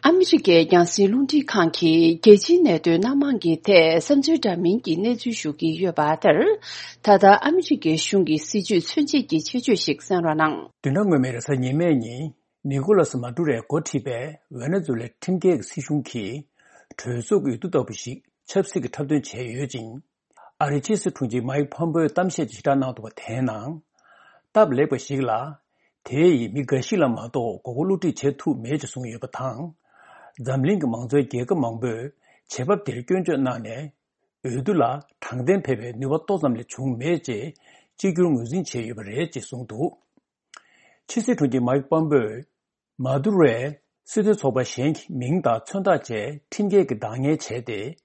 Amishike Yansi Lundi Kanki, Geji Nedo Namangi Te, Samju Damingi Neju Shuki Yobater, Tada Amishike Shungi Siju Sunji Cheju Shik Sanranang. Dunamere Sanimeni, Nicolas Madure Gotibe, Venezuela Timge Sishunki, Tuzuk Utudobishi, Chepsik Tabdun Che Yujin, Arichis Tunji Mai Pombo Tamshe Chitana to Tenang, Tab Lebo Shigla, Tei Migashila Mado, Goguluti Chetu Major Sung Yobatang, Zamling Mangzo Gega Mangbo, Chebab Dirkunjo Nane, Udula, Tangden Pepe, Nuvato Zamli Chung Meje, Jigung Uzin Che Yubare Sungdu. Chisi Tunji Mike Bombo, Madure, Sudu Soba Shenk, Mingda Chunda Che, Timge Dange Chede,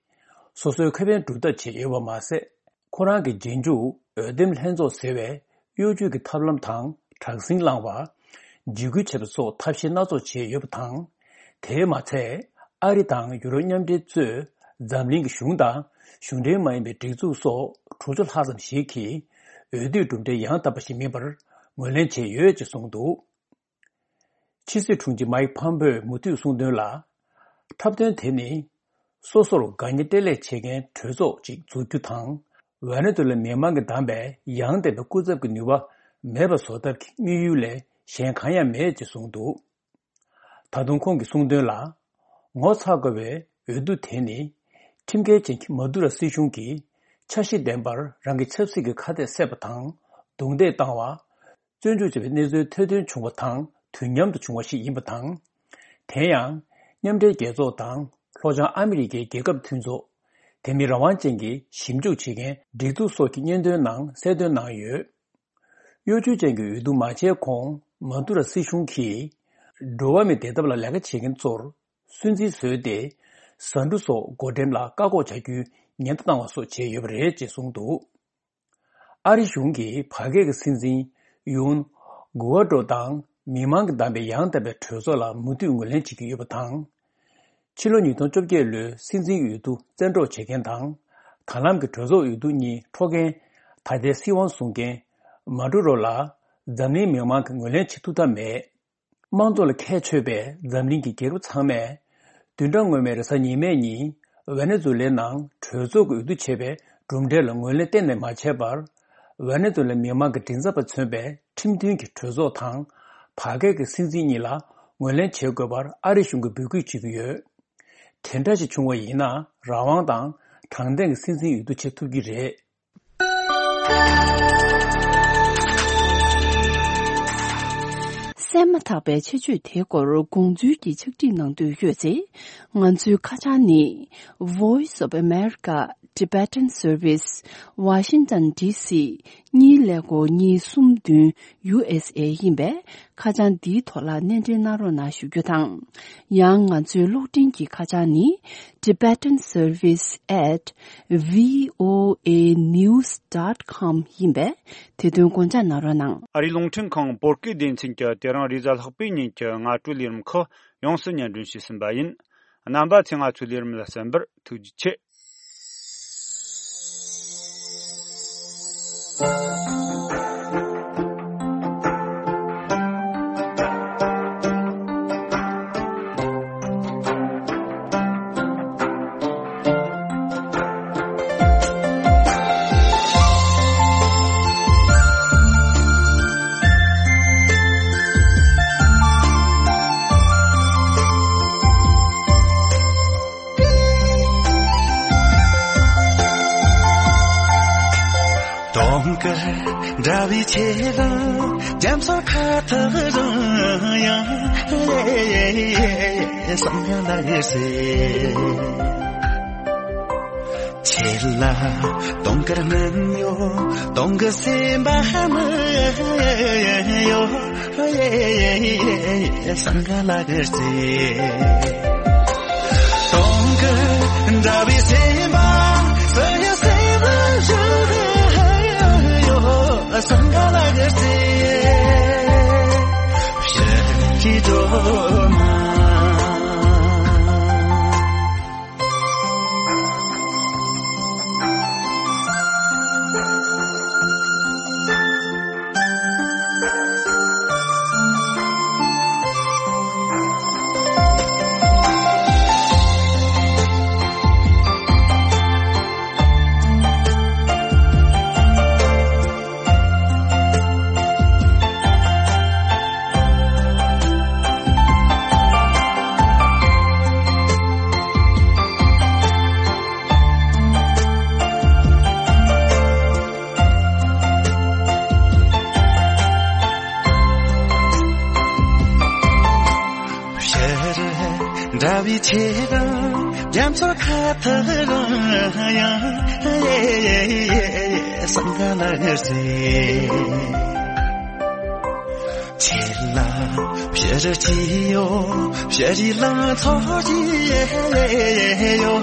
Soso Kevin Duda Che Yawamase, Korangi Jinju, Udem Henzo Sewe, Yuju Tablam Tang, Tangsing Langwa, Jigu Chebso, Tapshinazo Che Yubtang, Temate, Aritang, Uranium Zu, Zamling Shunda, Shunde Maime Dizu So, Truzul Hazam Shiki, Udu Dumde Yang Tabashi Member, Mulenche Yuj Sungdu. Chisi Tunji Mai Pambe Mutu Sundula, Tabden Teni, Sosoro Ganitele Chegen, Tuzo Jik Zutang, Vanadula Memang Dambe, Yang de Kuzak Nuva, Meba Sodak, Miyule, Shenkaya Mej Sungdu. Tadungkong Sungdula, Ngosagawe, Udu Teni, Timge Jink Madura Sishunki, Chashi Dembar, Rangi Chepsig Kade Sebatang, Dungde Tangwa, Junju Nezu Tedun Chungwatang, Tunyam to Chungwashi Imbatang, Tayang, Nyamde Gezo Tang, Rojan Amerike Gegab Tunzo, Temirawan Jengi, Shimju Chigen, Didu Soki Nyendo Nang, Sedun Nang Yu, Yuju Jengi Udu Mache Kong, Madura Sishunki, Dowame Dedabla Laga Chicken Zor, Sunzi Sude, Sanduso, Godemla, Gago Chagu, Nyantang So Che Yubre Sungdu. Ari Shungi, Page Sinzi, Yun, guado tang mimang dambe yang tabe thuzo la mutu ngulen chiki yobatang chilo ni ton chobje le sinzin yudu zendo cheken tang thalam ke thuzo yudu ni thogen thade siwon sungen maduro la zamni mimang ngulen chituta me mangzo le khechebe zamni ki geru changme dundang ngome sa ni me ni Venezuela nang thuzo yudu chebe rumde la ngole tenne ma chebar Venezuela mimang ke tinza pa chebe timtin ki thuzo thang 파게 그 신진이라 원래 제거bar 아리슝고 비고 지비여 텐다지 중원이나 라왕당 당된 신진 유도 제투기래 세마타베 체주 대고로 공주기 측진능도 유제 안주 카자니 Voice of America Tibetan Service Washington DC 니레고 니숨든 USA 임베 가장 디토라 넨데나로 나슈교당 양안주 로딩기 가자니 Tibetan Service @voanews.com 임베 대동권자 나로낭 아리롱팅콩 보르키딘 칭겨 데랑 리잘 학비니께 나투리름커 용스년 준시슨바인 남바 칭아 출리름라선버 투지체 Davi chela jamsa khatha ya samya lagse chela tongkar nanyo tongse bahama yo samya lagse tongkar davi seba saya seba Sangalagase Shakidoma Davi chela jamsa khatha ya sangalagse chela pyejiyo pyejila thoji yo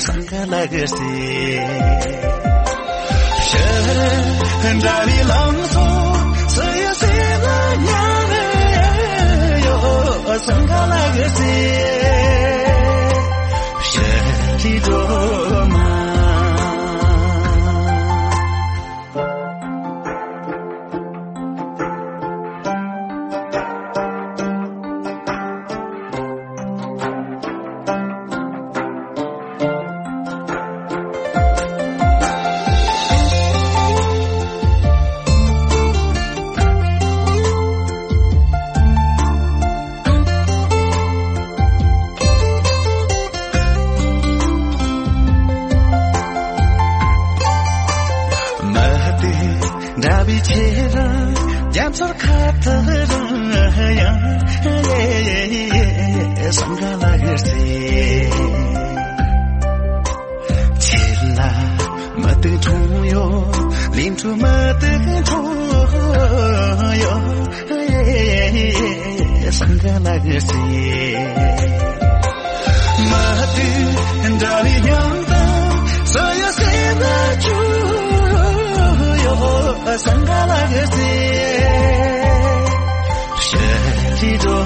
sangalagse Davi langso saya sela Sangalagase Shakidoma Sangalagase chi do